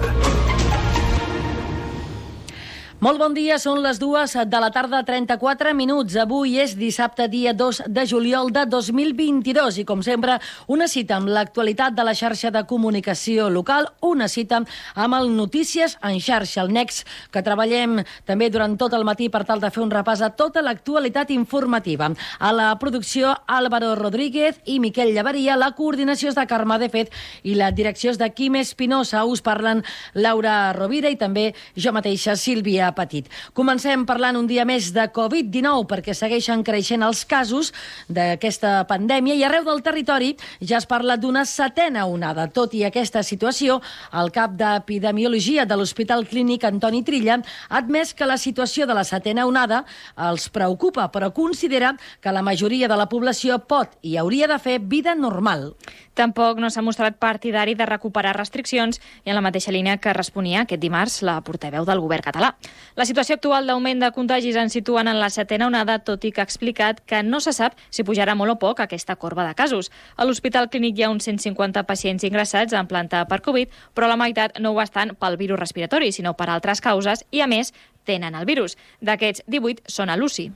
Molt bon dia, són les 2 de la tarda, 34 minuts. Avui és dissabte, dia 2 de juliol de 2022 i, com sempre, una cita amb l'actualitat de la xarxa de comunicació local, una cita amb el Notícies en xarxa, el NEX, que treballem també durant tot el matí per tal de fer un repàs a tota l'actualitat informativa. A la producció, Álvaro Rodríguez i Miquel Llaveria, la coordinació és de Carme de Fet i la direcció és de Quim Espinosa. Us parlen Laura Rovira i també jo mateixa, Sílvia Petit. Comencem parlant un dia més de Covid-19 perquè segueixen creixent els casos d'aquesta pandèmia i arreu del territori ja es parla d'una 7a onada. Tot i aquesta situació, el cap d'Epidemiologia de l'Hospital Clínic, Antoni Trilla, ha admès que la situació de la 7a onada els preocupa, però considera que la majoria de la població pot i hauria de fer vida normal. Tampoc no s'ha mostrat partidari de recuperar restriccions i en la mateixa línia que responia aquest dimarts la portaveu del govern català. La situació actual d'augment de contagis ens situen en la 7a onada, tot i que ha explicat que no se sap si pujarà molt o poc aquesta corba de casos. A l'Hospital Clínic hi ha uns 150 pacients ingressats en planta per Covid, però la meitat no ho estan pel virus respiratori, sinó per altres causes i, a més, tenen el virus. D'aquests, 18 són a l'UCI.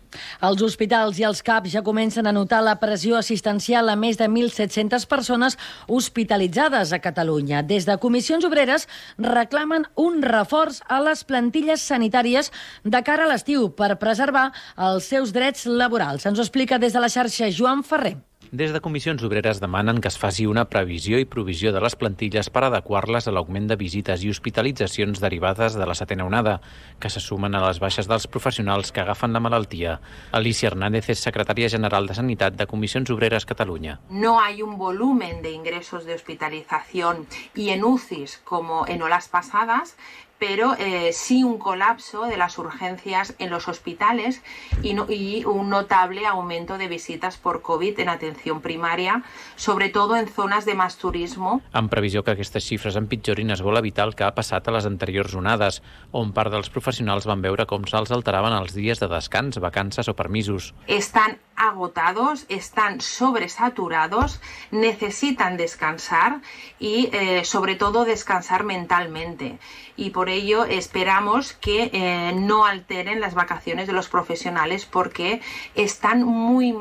Els hospitals i els CAPs ja comencen a notar la pressió assistencial a més de 1.700 persones hospitalitzades a Catalunya. Des de Comissions Obreres reclamen un reforç a les plantilles sanitàries de cara a l'estiu per preservar els seus drets laborals. Ens ho explica des de la xarxa Joan Ferrer. Des de Comissions Obreres demanen que es faci una previsió i provisió de les plantilles per adequar-les a l'augment de visites i hospitalitzacions derivades de la 7a onada, que se sumen a les baixes dels professionals que agafen la malaltia. Alicia Hernández és secretària general de Sanitat de Comissions Obreres Catalunya. No hay un volumen de ingresos de hospitalización y en UCIs como en olas pasadas, pero sí un colapso de las urgencias en los hospitales y un notable aumento de visitas por COVID en atención primaria, sobre todo en zonas de más turismo. En previsió que aquestes xifres empitjorin, es vol evitar el que ha passat a les anteriors onades, on part dels professionals van veure com se'ls alteraven els dies de descans, vacances o permisos. Están agotados, están sobresaturados, necesitan descansar y sobre todo descansar mentalmente. Y por ello esperamos que no alteren las vacaciones de los profesionales porque están muy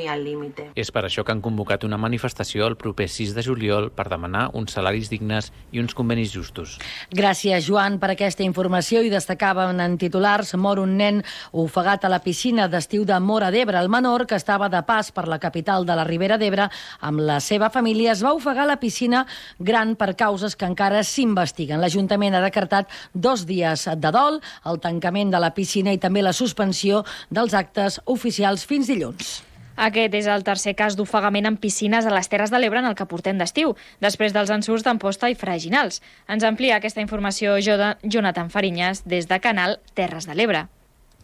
al límite. És per això que han convocat una manifestació el proper 6 de juliol per demanar uns salaris dignes i uns convenis justos. Gràcies, Joan, per aquesta informació. I destacaven en titulars: mor un nen ofegat a la piscina d'estiu de Móra d'Ebre. El menor, que estava de pas per la capital de la Ribera d'Ebre amb la seva família, es va ofegar a la piscina gran per causes que encara s'investiguen. L'Ajuntament ha decretat 2 dies de dol, el tancament de la piscina i també la suspensió dels actes oficials fins dilluns. Aquest és el tercer cas d'ofegament en piscines a les Terres de l'Ebre en el que portem d'estiu, després dels ensurts d'Amposta i Freginals. Ens amplia aquesta informació Jonathan Fariñas des de Canal Terres de l'Ebre.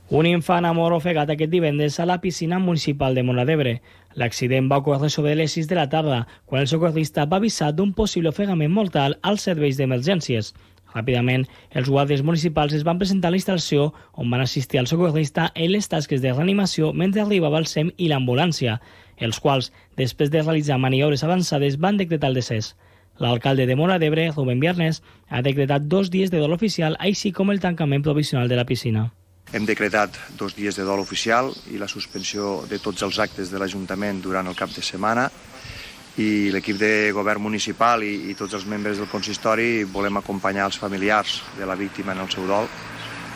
Un infant ha mort ofegat aquest divendres a la piscina municipal de Móra d'Ebre. L'accident va ocórrer sobre les 6 de la tarda, quan el socorrista va avisar d'un possible ofegament mortal als serveis d'emergències. Ràpidament, els guàrdies municipals es van presentar a la instal·lació on van assistir al socorrista en les tasques de reanimació mentre arribava el SEM i l'ambulància, els quals, després de realitzar maniobres avançades, van decretar el decés. L'alcalde de Móra d'Ebre, Rubén Viernes, ha decretat 2 dies de dol oficial, així com el tancament provisional de la piscina. Hem decretat 2 dies de dol oficial i la suspensió de tots els actes de l'Ajuntament durant el cap de setmana, i l'equip de govern municipal i tots els membres del consistori volem acompanyar els familiars de la víctima en el seu dol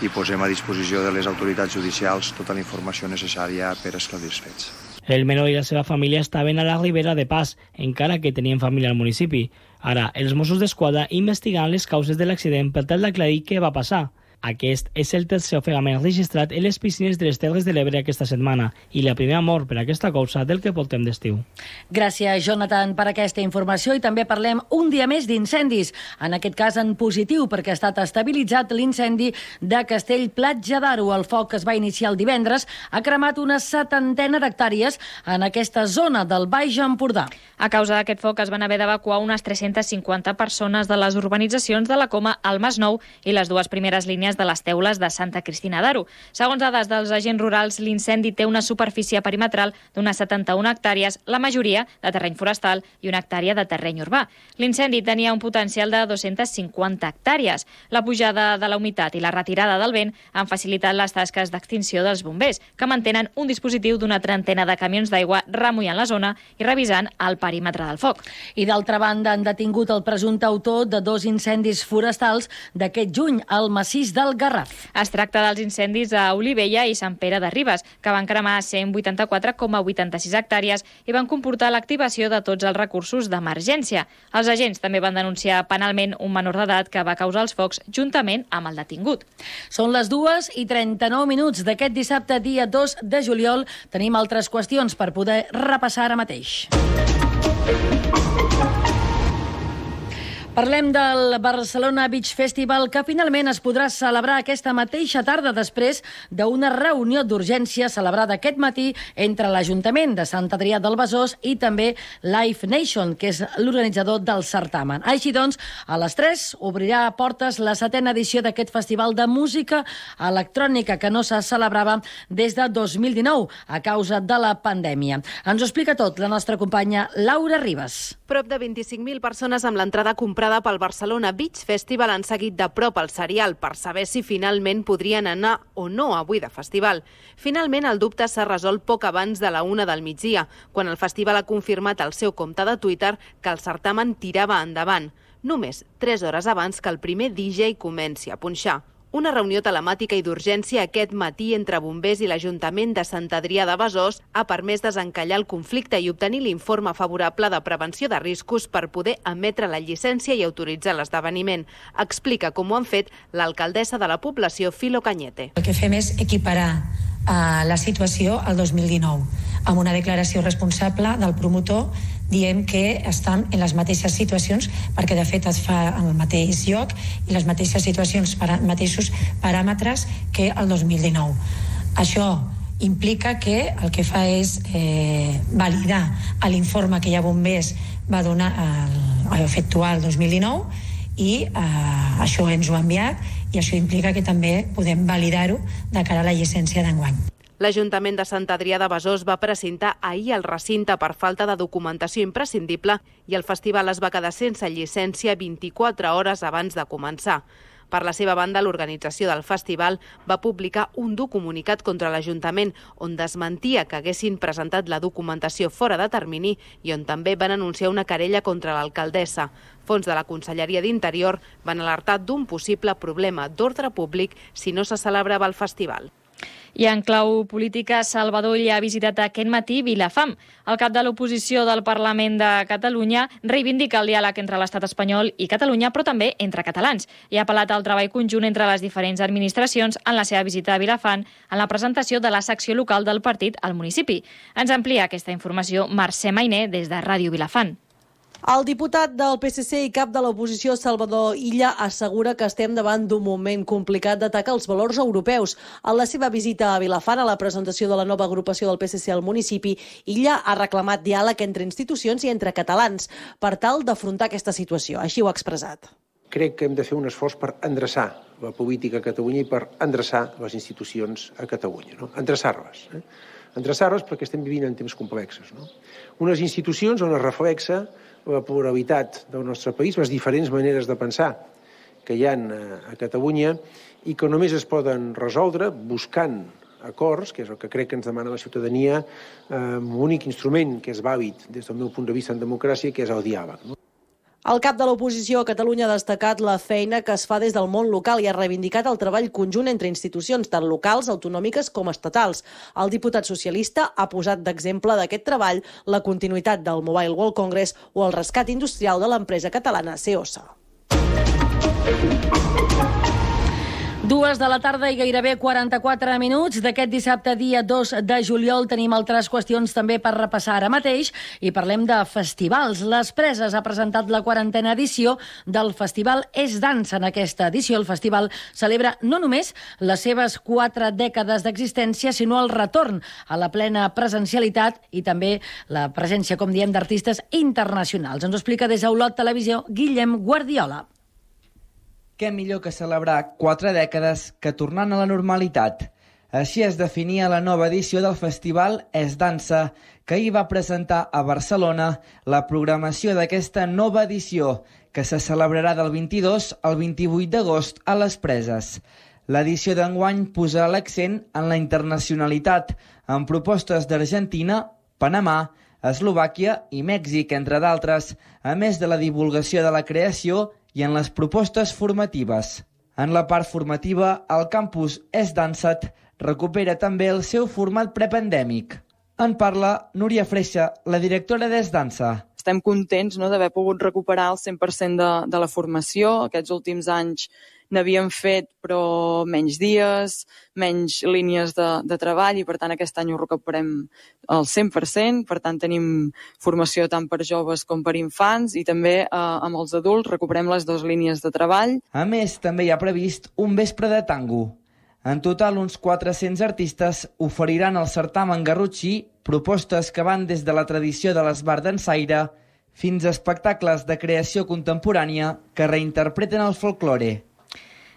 i posem a disposició de les autoritats judicials tota la informació necessària per esclarir els fets. El menor i la seva família estaven a la Ribera de Pas, encara que tenien família al municipi. Ara, els Mossos d'Esquadra investiguen les causes de l'accident per tal d'aclarir què va passar. Aquest és el tercer ofegament registrat en les piscines de les Terres de l'Ebre aquesta setmana i la primera mort per aquesta causa del que portem d'estiu. Gràcies, Jonathan, per aquesta informació. I també parlem un dia més d'incendis. En aquest cas en positiu, perquè ha estat estabilitzat l'incendi de Castell-Platja d'Aro. El foc que es va iniciar el divendres ha cremat una 70 d'hectàrees en aquesta zona del Baix Empordà. A causa d'aquest foc es van haver d'evacuar unes 350 persones de les urbanitzacions de la Coma al Masnou i les 2 primeres línies muntanyes de les Teules de Santa Cristina d'Aro. Segons dades dels agents rurals, l'incendi té una superfície perimetral d'unes 71 hectàrees, la majoria de terreny forestal i una hectàrea de terreny urbà. L'incendi tenia un potencial de 250 hectàrees. La pujada de la humitat i la retirada del vent han facilitat les tasques d'extinció dels bombers, que mantenen un dispositiu d'una trentena de camions d'aigua remullant la zona i revisant el perímetre del foc. I d'altra banda, han detingut el presumpte autor de 2 incendis forestals d'aquest juny al massís del Garraf. Es tracta dels incendis a Olivella i Sant Pere de Ribes, que van cremar 184,86 hectàrees i van comportar l'activació de tots els recursos d'emergència. Els agents també van denunciar penalment un menor d'edat que va causar els focs juntament amb el detingut. Són les 2:39 d'aquest dissabte, dia 2 de juliol. Tenim altres qüestions per poder repassar ara mateix. Parlem del Barcelona Beach Festival, que finalment es podrà celebrar aquesta mateixa tarda després d'una reunió d'urgència celebrada aquest matí entre l'Ajuntament de Sant Adrià del Besòs i també Live Nation, que és l'organitzador del certamen. Així doncs, a les 3 obrirà portes la 7a edició d'aquest festival de música electrònica que no se celebrava des de 2019 a causa de la pandèmia. Ens ho explica tot la nostra companya Laura Ribas. Prop de 25.000 persones amb l'entrada comprada pel Barcelona Beach Festival han seguit de prop el serial per saber si finalment podrien anar o no avui de festival. Finalment, el dubte s'ha resolt poc abans de la 1 del migdia, quan el festival ha confirmat al seu compte de Twitter que el certamen tirava endavant, només 3 hores abans que el primer DJ comenci a punxar. Una reunió telemàtica i d'urgència aquest matí entre bombers i l'Ajuntament de Sant Adrià de Besòs ha permès desencallar el conflicte i obtenir l'informe favorable de prevenció de riscos per poder emetre la llicència i autoritzar l'esdeveniment. Explica com ho han fet l'alcaldessa de la població, Filo Cañete. El que fem és equiparar la situació al 2019, amb una declaració responsable del promotor diem que estan en les mateixes situacions, perquè de fet es fa en el mateix lloc i les mateixes situacions, mateixos paràmetres que el 2019. Això implica que el que fa és validar l'informe que ja Bombers va donar a efectuar el 2019 i això ens ho ha enviat i això implica que també podem validar-ho de cara a la llicència d'enguany. L'Ajuntament de Sant Adrià de Besòs va precintar ahir el recinte per falta de documentació imprescindible i el festival es va quedar sense llicència 24 hores abans de començar. Per la seva banda, l'organització del festival va publicar un dur comunicat contra l'Ajuntament on desmentia que haguessin presentat la documentació fora de termini i on també van anunciar una querella contra l'alcaldessa. Fons de la Conselleria d'Interior van alertar d'un possible problema d'ordre públic si no se celebrava el festival. I en clau política, Salvador Illa ha visitat aquest matí Vilafam. El cap de l'oposició del Parlament de Catalunya reivindica el diàleg entre l'estat espanyol i Catalunya, però també entre catalans, i ha apel·lat al treball conjunt entre les diferents administracions en la seva visita a Vilafant en la presentació de la secció local del partit al municipi. Ens amplia aquesta informació Mercè Mainer des de Ràdio Vilafant. El diputat del PSC i cap de l'oposició, Salvador Illa, assegura que estem davant d'un moment complicat d'atacar els valors europeus. En la seva visita a Vilafant, a la presentació de la nova agrupació del PSC al municipi, Illa ha reclamat diàleg entre institucions i entre catalans per tal d'afrontar aquesta situació. Així ho ha expressat. Crec que hem de fer un esforç per endreçar la política a Catalunya i per endreçar les institucions a Catalunya. No? Endreçar-les. Endreçar-les perquè estem vivint en temps complexos. No? Unes institucions on es reflexa la pluralitat del nostre país, les diferents maneres de pensar que hi ha a Catalunya i que només es poden resoldre buscant acords, que és el que crec que ens demana la ciutadania, amb un únic instrument que és vàlid des del meu punt de vista en democràcia, que és el diàleg. El cap de l'oposició a Catalunya ha destacat la feina que es fa des del món local i ha reivindicat el treball conjunt entre institucions, tant locals, autonòmiques com estatals. El diputat socialista ha posat d'exemple d'aquest treball la continuïtat del Mobile World Congress o el rescat industrial de l'empresa catalana CEOSA. 2 de la tarda i gairebé 44 minuts d'aquest dissabte, dia 2 de juliol. Tenim altres qüestions també per repassar ara mateix i parlem de festivals. Les Preses ha presentat la 40a edició del Festival És Dansa. En aquesta edició el festival celebra no només les seves 4 dècades d'existència, sinó el retorn a la plena presencialitat i també la presència, com diem, d'artistes internacionals. Ens ho explica des d'Olot Televisió Guillem Guardiola. què millor que celebrar 4 dècades que tornant a la normalitat. Així es definia la nova edició del festival Es Dansa, que ahir va presentar a Barcelona la programació d'aquesta nova edició, que se celebrarà del 22 al 28 d'agost a les Preses. L'edició d'enguany posa l'accent en la internacionalitat, amb propostes d'Argentina, Panamà, Eslovàquia i Mèxic, entre d'altres, a més de la divulgació de la creació i en les propostes formatives. En la part formativa, el campus Es Dansat recupera també el seu format prepandèmic. En parla Núria Freixa, la directora d'Es Dansa. Estem contents d'haver pogut recuperar el 100% de la formació. Aquests últims anys n'havíem fet, però menys dies, menys línies de treball, i per tant aquest any ho recuperem al 100%. Per tant tenim formació tant per joves com per infants, i també amb els adults recuperem les 2 línies de treball. A més, també hi ha previst un vespre de tango. En total, uns 400 artistes oferiran al certamen garrotxí propostes que van des de la tradició de l'esbar dansaire fins a espectacles de creació contemporània que reinterpreten el folklore.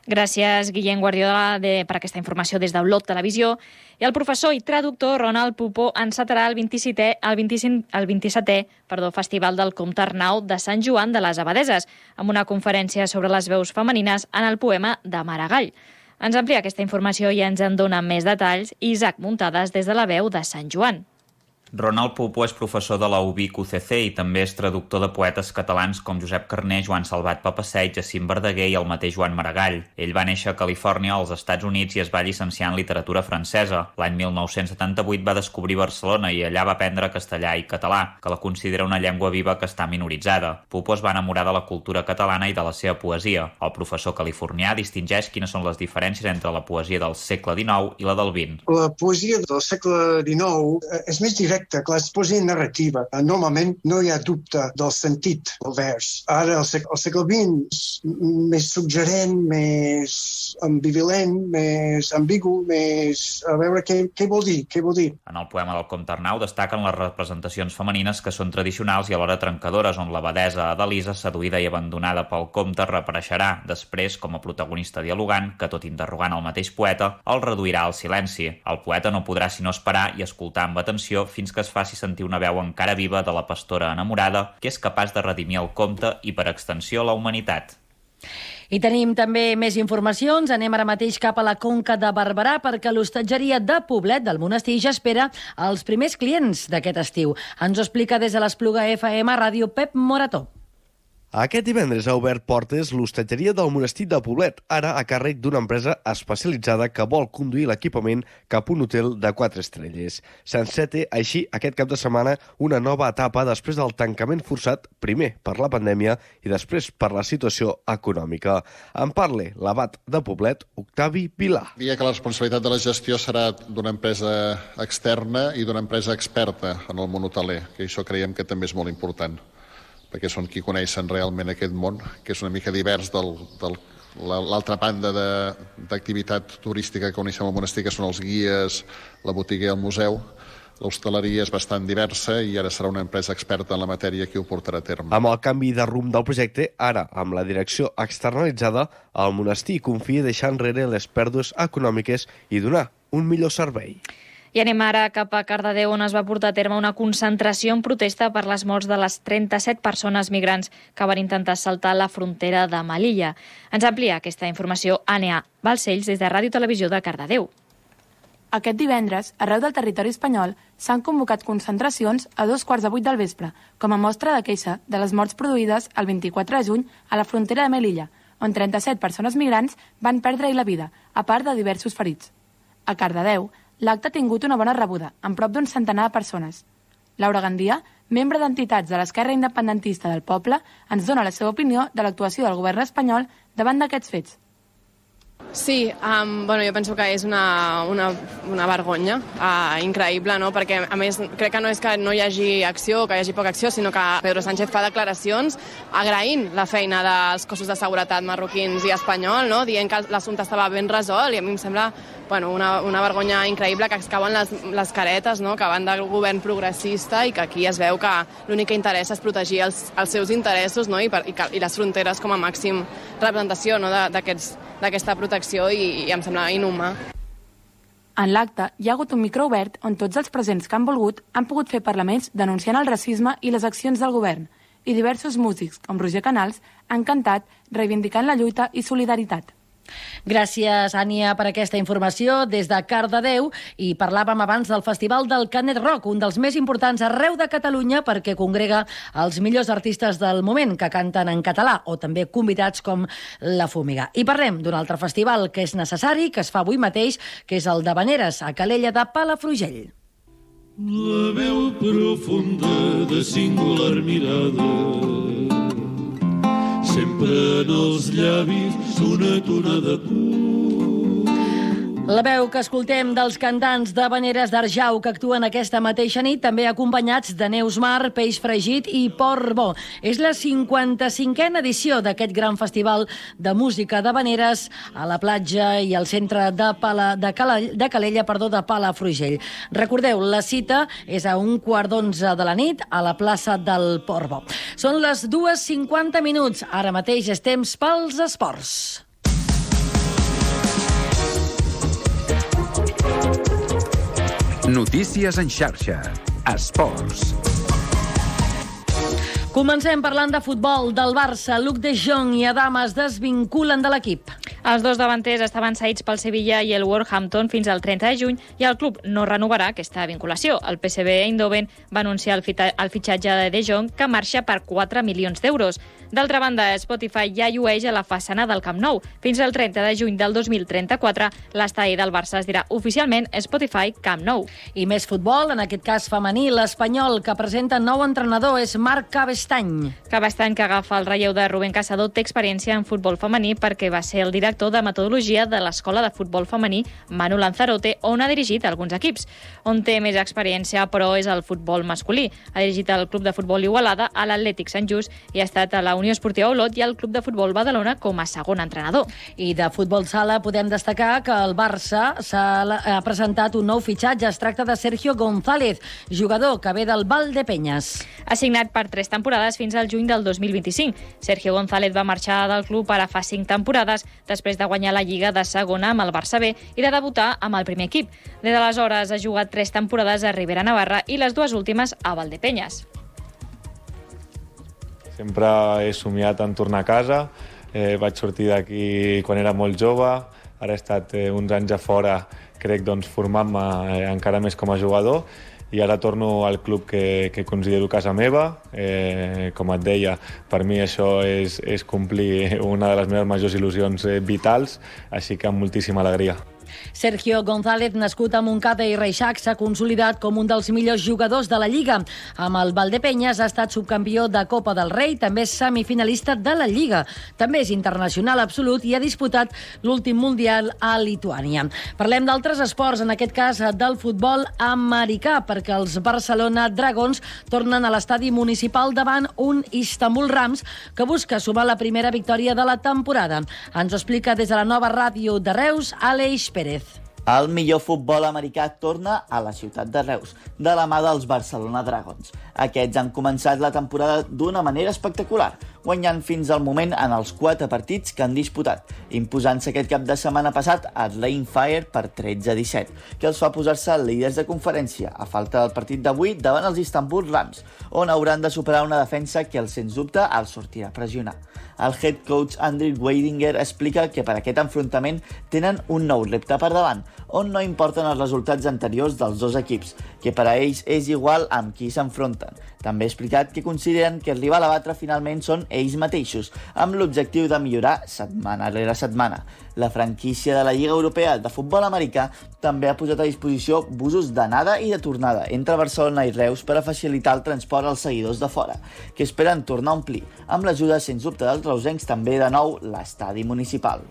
Gràcies, Guillem Guardiola, per aquesta informació des d'Olot Televisió. I el professor i traductor Ronald Pupó encetarà el 27è Festival del Comte Arnau de Sant Joan de les Abadeses, amb una conferència sobre les veus femenines en el poema de Maragall. Ens amplia aquesta informació i ens en dona més detalls Isaac Muntades des de la veu de Sant Joan. Ronald Pupó és professor de la UBIC UCC i també és traductor de poetes catalans com Josep Carner, Joan Salvat Papasseit, Jacint Verdaguer i el mateix Joan Maragall. Ell va néixer a Califòrnia, als Estats Units, i es va llicenciar en literatura francesa. L'any 1978 va descobrir Barcelona i allà va aprendre castellà i català, que la considera una llengua viva que està minoritzada. Pupó es va enamorar de la cultura catalana i de la seva poesia. El professor californià distingeix quines són les diferències entre la poesia del segle XIX i la del XX. La poesia del segle XIX és més directa. Clar, és poesia narrativa. Normalment no hi ha dubte del sentit del vers. Ara, el segle XX és més suggerent, més ambivalent, més ambigu, més... A veure què vol dir, En el poema del Comte Arnau destaquen les representacions femenines que són tradicionals i alhora trencadores, on l'abadesa Adalisa, seduïda i abandonada pel comte, reapareixerà després com a protagonista dialogant que, tot interrogant el mateix poeta, el reduirà al silenci. El poeta no podrà sinó esperar i escoltar amb atenció fins que es faci sentir una veu encara viva de la pastora enamorada que és capaç de redimir el comte i, per extensió, la humanitat. I tenim també més informacions. Anem ara mateix cap a la Conca de Barberà perquè l'hostatgeria de Poblet del Monestir ja espera els primers clients d'aquest estiu. Ens ho explica des de l'Espluga FM Ràdio Pep Morató. Aquest divendres ha obert portes l'hostatgeria del Monestir de Poblet, ara a càrrec d'una empresa especialitzada que vol conduir l'equipament cap a un hotel de 4 estrelles. S'enceta així aquest cap de setmana una nova etapa després del tancament forçat, primer per la pandèmia i després per la situació econòmica. En parla l'abat de Poblet, Octavi Vilà. Diria que la responsabilitat de la gestió serà d'una empresa externa i d'una empresa experta en el món hoteler, que això creiem que també és molt important, perquè són qui coneixen realment aquest món, que és una mica divers de l'altra banda d'activitat turística que coneixem al monestir, que són els guies, la botiga i el museu. L'hostaleria és bastant diversa i ara serà una empresa experta en la matèria qui ho portarà a terme. Amb el canvi de rumb del projecte, ara, amb la direcció externalitzada, el monestir confia deixar enrere les pèrdues econòmiques i donar un millor servei. I anem ara cap a Cardedeu, on es va portar a terme una concentració en protesta per les morts de les 37 persones migrants que van intentar saltar la frontera de Melilla. Ens amplia aquesta informació Ànea Balcells des de Ràdio Televisió de Cardedeu. Aquest divendres, arreu del territori espanyol, s'han convocat concentracions a 2:15 del vespre, com a mostra de queixa de les morts produïdes el 24 de juny a la frontera de Melilla, on 37 persones migrants van perdre-hi la vida, a part de diversos ferits. A Cardedeu, l'acte ha tingut una bona rebuda, amb prop d'un centenar de persones. Laura Gandia, membre d'entitats de l'esquerra independentista del poble, ens dona la seva opinió de l'actuació del govern espanyol davant d'aquests fets. Sí, jo penso que és una vergonya increïble, no? Perquè a més crec que no és que no hi hagi acció o que hi hagi poca acció, sinó que Pedro Sánchez fa declaracions agraint la feina dels cossos de seguretat marroquins i espanyol, no? Dient que l'assumpte estava ben resolt, i a mi em sembla una vergonya increïble, que es cauen les caretes, no?, que van del govern progressista i que aquí es veu que l'únic que interessa és protegir els seus interessos, no?, i les fronteres com a màxim representació, no?, d'aquesta protecció, i em sembla inhumà. En l'acte hi ha hagut un micro obert on tots els presents que han volgut han pogut fer parlaments denunciant el racisme i les accions del govern, i diversos músics, com Roger Canals, han cantat reivindicant la lluita i solidaritat. Gràcies, Ània, per aquesta informació des de Cardedeu. I parlàvem abans del Festival del Canet Rock, un dels més importants arreu de Catalunya perquè congrega els millors artistes del moment que canten en català o també convidats com La Fúmiga. I parlem d'un altre festival que és necessari, que es fa avui mateix, que és el d'Havaneres, a Calella de Palafrugell. La veu profunda de singular mirada, sempre en els llavis una tonada pura. La veu que escoltem dels cantants d'Havaneres d'Arjau que actuen aquesta mateixa nit, també acompanyats de Neus Mar, Peix Fregit i Port Bo. És la 55a edició d'aquest gran festival de música d'Havaneres a la platja i al centre de Calella, de Palafrugell. Recordeu, la cita és a 11:15 de la nit a la plaça del Port Bo. Són les 2:50. Ara mateix és temps pels esports. Notícies en xarxa. Esports. Comencem parlant de futbol del Barça. Luc de Jong i Adama es desvinculen de l'equip. Els dos davanters estaven cedits pel Sevilla i el Wolverhampton fins al 30 de juny i el club no renovarà aquesta vinculació. El PSV Eindhoven va anunciar el fitxatge de Jong, que marxa per 4 milions d'euros. D'altra banda, Spotify ja llueix a la façana del Camp Nou. Fins al 30 de juny del 2034, l'estadi del Barça es dirà oficialment Spotify Camp Nou. I més futbol, en aquest cas femení, l'Espanyol, que presenta nou entrenador, és Marc Cabestany. Cabestany, que agafa el relleu de Rubén Casador, té experiència en futbol femení perquè va ser el director de metodologia de l'Escola de Futbol Femení Manu Lanzarote, on ha dirigit alguns equips. On té més experiència, però, és el futbol masculí. Ha dirigit el Club de Futbol Igualada, a l'Atlètic Sant Just i ha estat a la Unió Esportiva Olot i al Club de Futbol Badalona com a segon entrenador. I de futbol sala podem destacar que el Barça ha presentat un nou fitxatge. Es tracta de Sergio González, jugador que ve del Valdepeñas. Ha signat per 3 temporades fins al juny del 2025. Sergio González va marxar del club ara fa 5 temporades després de guanyar la Lliga de segona amb el Barça B i de debutar amb el primer equip. Des d'aleshores ha jugat 3 temporades a Ribera Navarra i les 2 últimes a Valdepeñas. Sempre he somiat en tornar a casa. Vaig sortir d'aquí quan era molt jove. Ara he estat uns anys a fora, crec, formant-me encara més com a jugador. I ara torno al club que considero casa meva. Com et deia, per mi això és complir una de les meves majors il·lusions vitals, així que amb moltíssima alegria. Sergio González, nascut a Montcada i Reixac, s'ha consolidat com un dels millors jugadors de la Lliga. Amb el Valdepeñas ha estat subcampió de Copa del Rei, també és semifinalista de la Lliga. També és internacional absolut i ha disputat l'últim Mundial a Lituània. Parlem d'altres esports, en aquest cas del futbol americà, perquè els Barcelona Dragons tornen a l'estadi municipal davant un Istanbul Rams que busca sumar la primera victòria de la temporada. Ens ho explica des de la nova ràdio de Reus, Aleix Pérez. El millor futbol americà torna a la ciutat de Reus, de la mà dels Barcelona Dragons. Aquests han començat la temporada d'una manera espectacular, guanyant fins al moment en els 4 partits que han disputat, imposant-se aquest cap de setmana passat a Atlanta Fire per 13-17, que els fa posar-se líders de conferència, a falta del partit d'avui davant els Istanbul Rams, on hauran de superar una defensa que, sens dubte, els sortirà a pressionar. El head coach Andrew Weidinger explica que per aquest enfrontament tenen un nou repte per davant, on no importen els resultats anteriors dels dos equips, que per a ells és igual amb qui s'enfronten. També ha explicat que consideren que el rival a batre finalment són ells mateixos, amb l'objectiu de millorar setmana rere setmana. La franquícia de la Lliga Europea de Futbol Americà també ha posat a disposició busos d'anada i de tornada entre Barcelona i Reus per a facilitar el transport als seguidors de fora, que esperen tornar a omplir, amb l'ajuda, sens dubte, dels reusencs també de nou l'estadi municipal.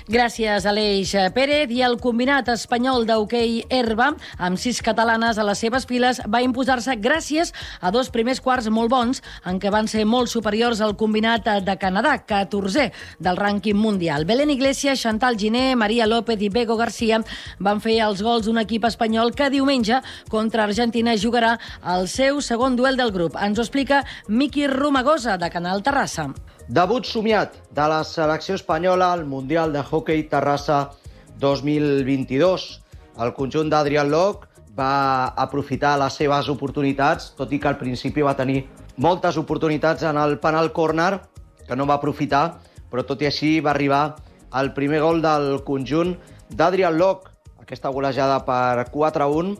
Gràcies, Aleix Pérez. I el combinat espanyol d'hoquei herba, amb 6 catalanes a les seves files, va imposar-se gràcies a 2 primers quarts molt bons, en què van ser molt superiors al combinat de Canadà, 14è del rànquing mundial. Belén Iglesias, Chantal Giné, María López i Bego García van fer els gols d'un equip espanyol que diumenge contra Argentina jugarà el seu segon duel del grup. Ens ho explica Miqui Romagosa, de Canal Terrassa. Debut somiat de la selecció espanyola al Mundial de Hockey Terrassa 2022. El conjunt d'Adrián Lok va aprofitar les seves oportunitats, tot i que al principi va tenir moltes oportunitats en el penal corner, que no va aprofitar, però tot i així va arribar el primer gol del conjunt d'Adrián Lok. Aquesta golejada per 4-1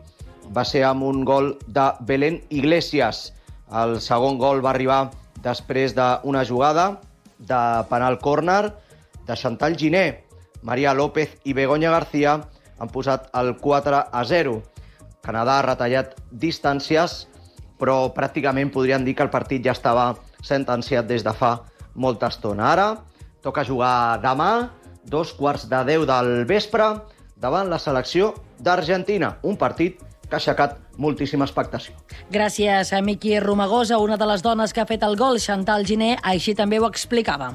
va ser amb un gol de Belén Iglesias. El segon gol va arribar després d'una jugada de penal córner de Chantal Giné. María López i Begoña García han posat el 4-0. Canadà ha retallat distàncies, però pràcticament podríem dir que el partit ja estava sentenciat des de fa molta estona. Ara toca jugar demà, 2:15 del vespre, davant la selecció d'Argentina. Un partit que ha aixecat moltíssima expectació. Gràcies a Miqui Romagosa, una de les dones que ha fet el gol, Chantal Giné, així també ho explicava.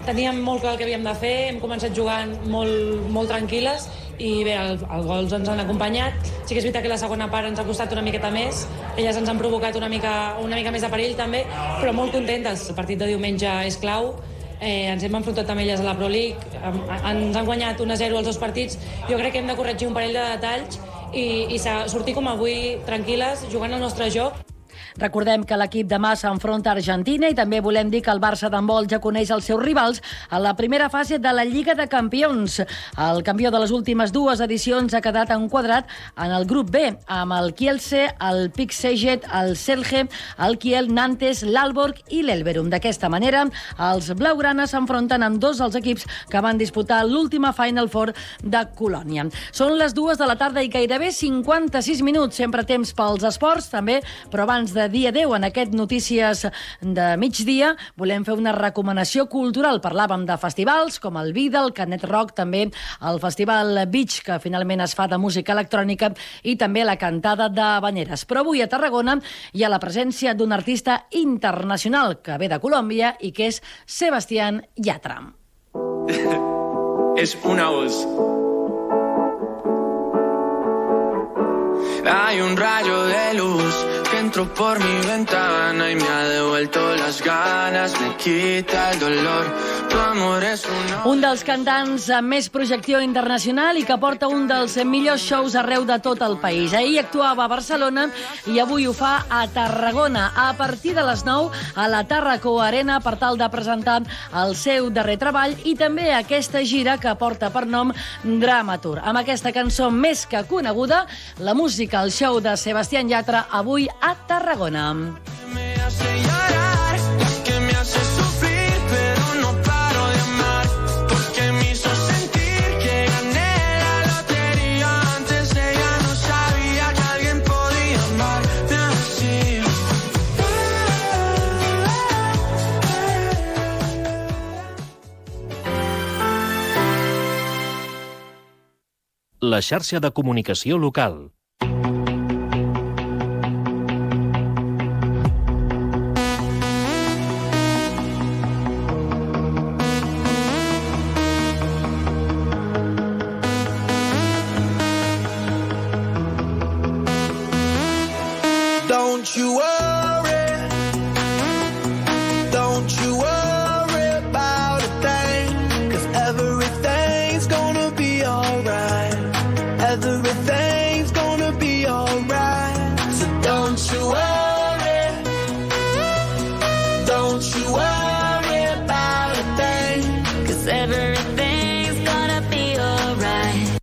Teníem molt clar el que havíem de fer, hem començat jugant molt tranquil·les i bé, els gols ens han acompanyat. Sí que és veritat que la segona part ens ha costat una miqueta més, elles ens han provocat una mica més de perill també, però molt contentes. El partit de diumenge és clau, ens hem enfrontat amb elles a la Pro League, ens han guanyat 1-0 els 2 partits. Jo crec que hem de corregir un parell de detalls i sortir com avui tranquil·les, jugant el nostre joc. Recordem que l'equip demà s'enfronta a Argentina i també volem dir que el Barça d'handbol ja coneix els seus rivals a la primera fase de la Lliga de Campions. El campió de les últimes 2 edicions ha quedat enquadrat en el grup B, amb el Kielce, el Pick Szeged, el Celje, el Kiel, Nantes, l'Aalborg i l'Elverum. D'aquesta manera, els blaugranes s'enfronten amb 2 dels equips que van disputar l'última Final Four de Colònia. Són les 2 de la tarda i gairebé 56 minuts. Sempre temps pels esports, també, però abans de dia 10 en aquest Notícies de migdia volem fer una recomanació cultural. Parlàvem de festivals com el Vida, el Canet Rock, també el Festival Beach, que finalment es fa de música electrònica, i també la cantada d'Habaneres. Però avui a Tarragona hi ha la presència d'un artista internacional que ve de Colòmbia i que és Sebastián Yatra. Es una voz. Hay un rayo de luz que entró por mi ventana y me ha devuelto las ganas, me quita el dolor. Tu amor es un dels cantants amb més projecció internacional i que porta un dels millors shows arreu de tot el país. Ahir actuava a Barcelona i avui ho fa a Tarragona a partir de les 9 a la Tàrraco Arena per tal de presentar el seu darrer treball i també aquesta gira que porta per nom Dramatur. Amb aquesta cançó més que coneguda, la música, el show de Sebastián Yatra avui a Tarragona. Me hace llorar, que me hace sufrir, pero no paro de amar, porque me hizo sentir que gané la lotería. Antes ella no sabía que alguien podía amarme así. La xarxa de comunicació local. Don't you worry, don't you worry about a thing, 'cause everything's gonna be alright, everything's gonna be alright, so don't you worry about a thing, 'cause everything's gonna be alright.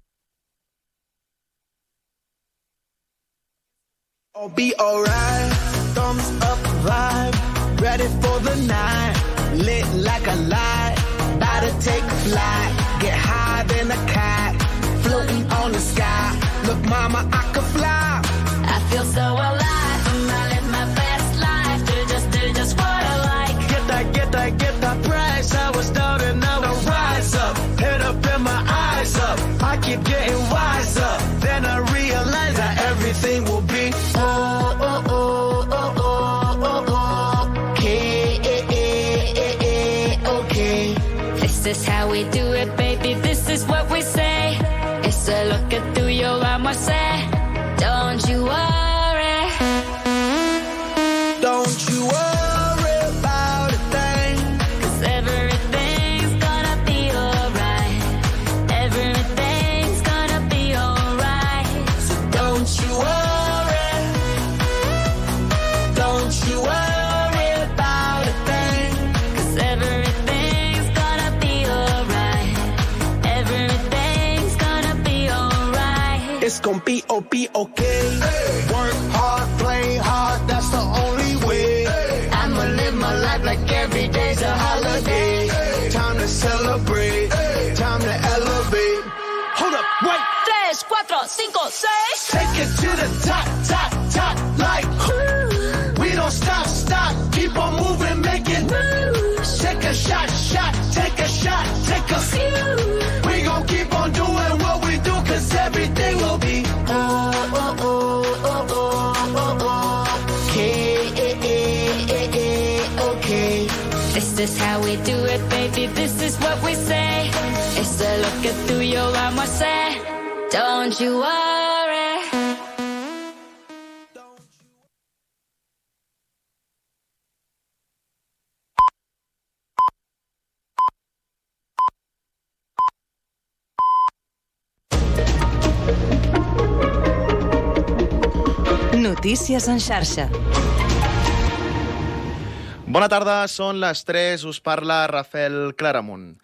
I'll be alright, thumbs up vibe, ready for the night, lit like a light, about to take flight, get high than a cat, floating on the sky, look mama I can fly, I feel so alive, I live my best life, do just what I like, get that price, I was down and now I rise up, head up okay. This is how we do it, baby, this is what we say. It's a look at tuyo, vamos a hacer. Don't you worry. Don't you worry about a thing. 'Cause everything's gonna be alright. Everything's gonna be alright. So don't you worry. Don't you worry about a thing. 'Cause everything's gonna be alright. Everything's gonna be alright. It's gonna be okay. Work hard, play hard, that's the only way. I'ma live my life like every day's a holiday. Time to celebrate, time to elevate. Hold up, wait. 3, 4, 5, 6. Take it to the top, top, top, like we don't stop, stop, keep on moving, make it moves. Take a shot, shot, take a shot, take a few. We gon' keep on doing what we do, 'cause everything will be okay. This is how we do it, baby, this is what we say. It's a look at tuyo, vamos a hacer. Don't you worry. Notícies en xarxa. Bona tarda, són les 3, us parla Rafael Claramunt.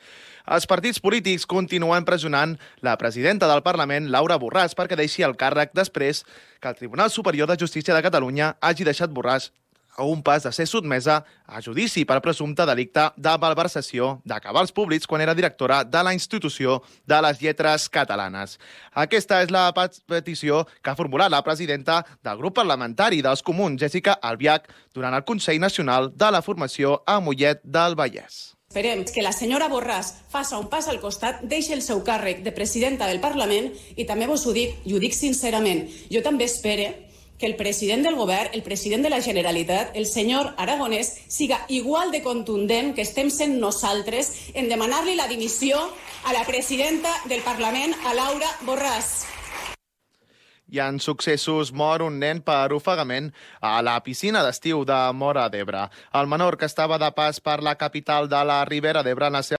Els partits polítics continuen pressionant la presidenta del Parlament, Laura Borràs, perquè deixi el càrrec després que el Tribunal Superior de Justícia de Catalunya hagi deixat Borràs a un pas de ser sotmesa a judici per presumpte delicte de malversació de cabals públics quan era directora de la Institució de les Lletres Catalanes. Aquesta és la petició que ha formulat la presidenta del grup parlamentari dels Comuns, Jessica Albiach, durant el Consell Nacional de la Formació a Mollet del Vallès. Esperem que la senyora Borràs faça un pas al costat, deixi el seu càrrec de presidenta del Parlament i també vos ho dic, i ho dic sincerament, jo també espere que el president del govern, el president de la Generalitat, el senyor Aragonès, siga igual de contundent que estem sent nosaltres en demanar-li la dimissió a la presidenta del Parlament, a Laura Borràs. I en successos mor un nen per ofegament a la piscina d'estiu de Móra d'Ebre. El menor, que estava de pas per la capital de la Ribera d'Ebre en la seva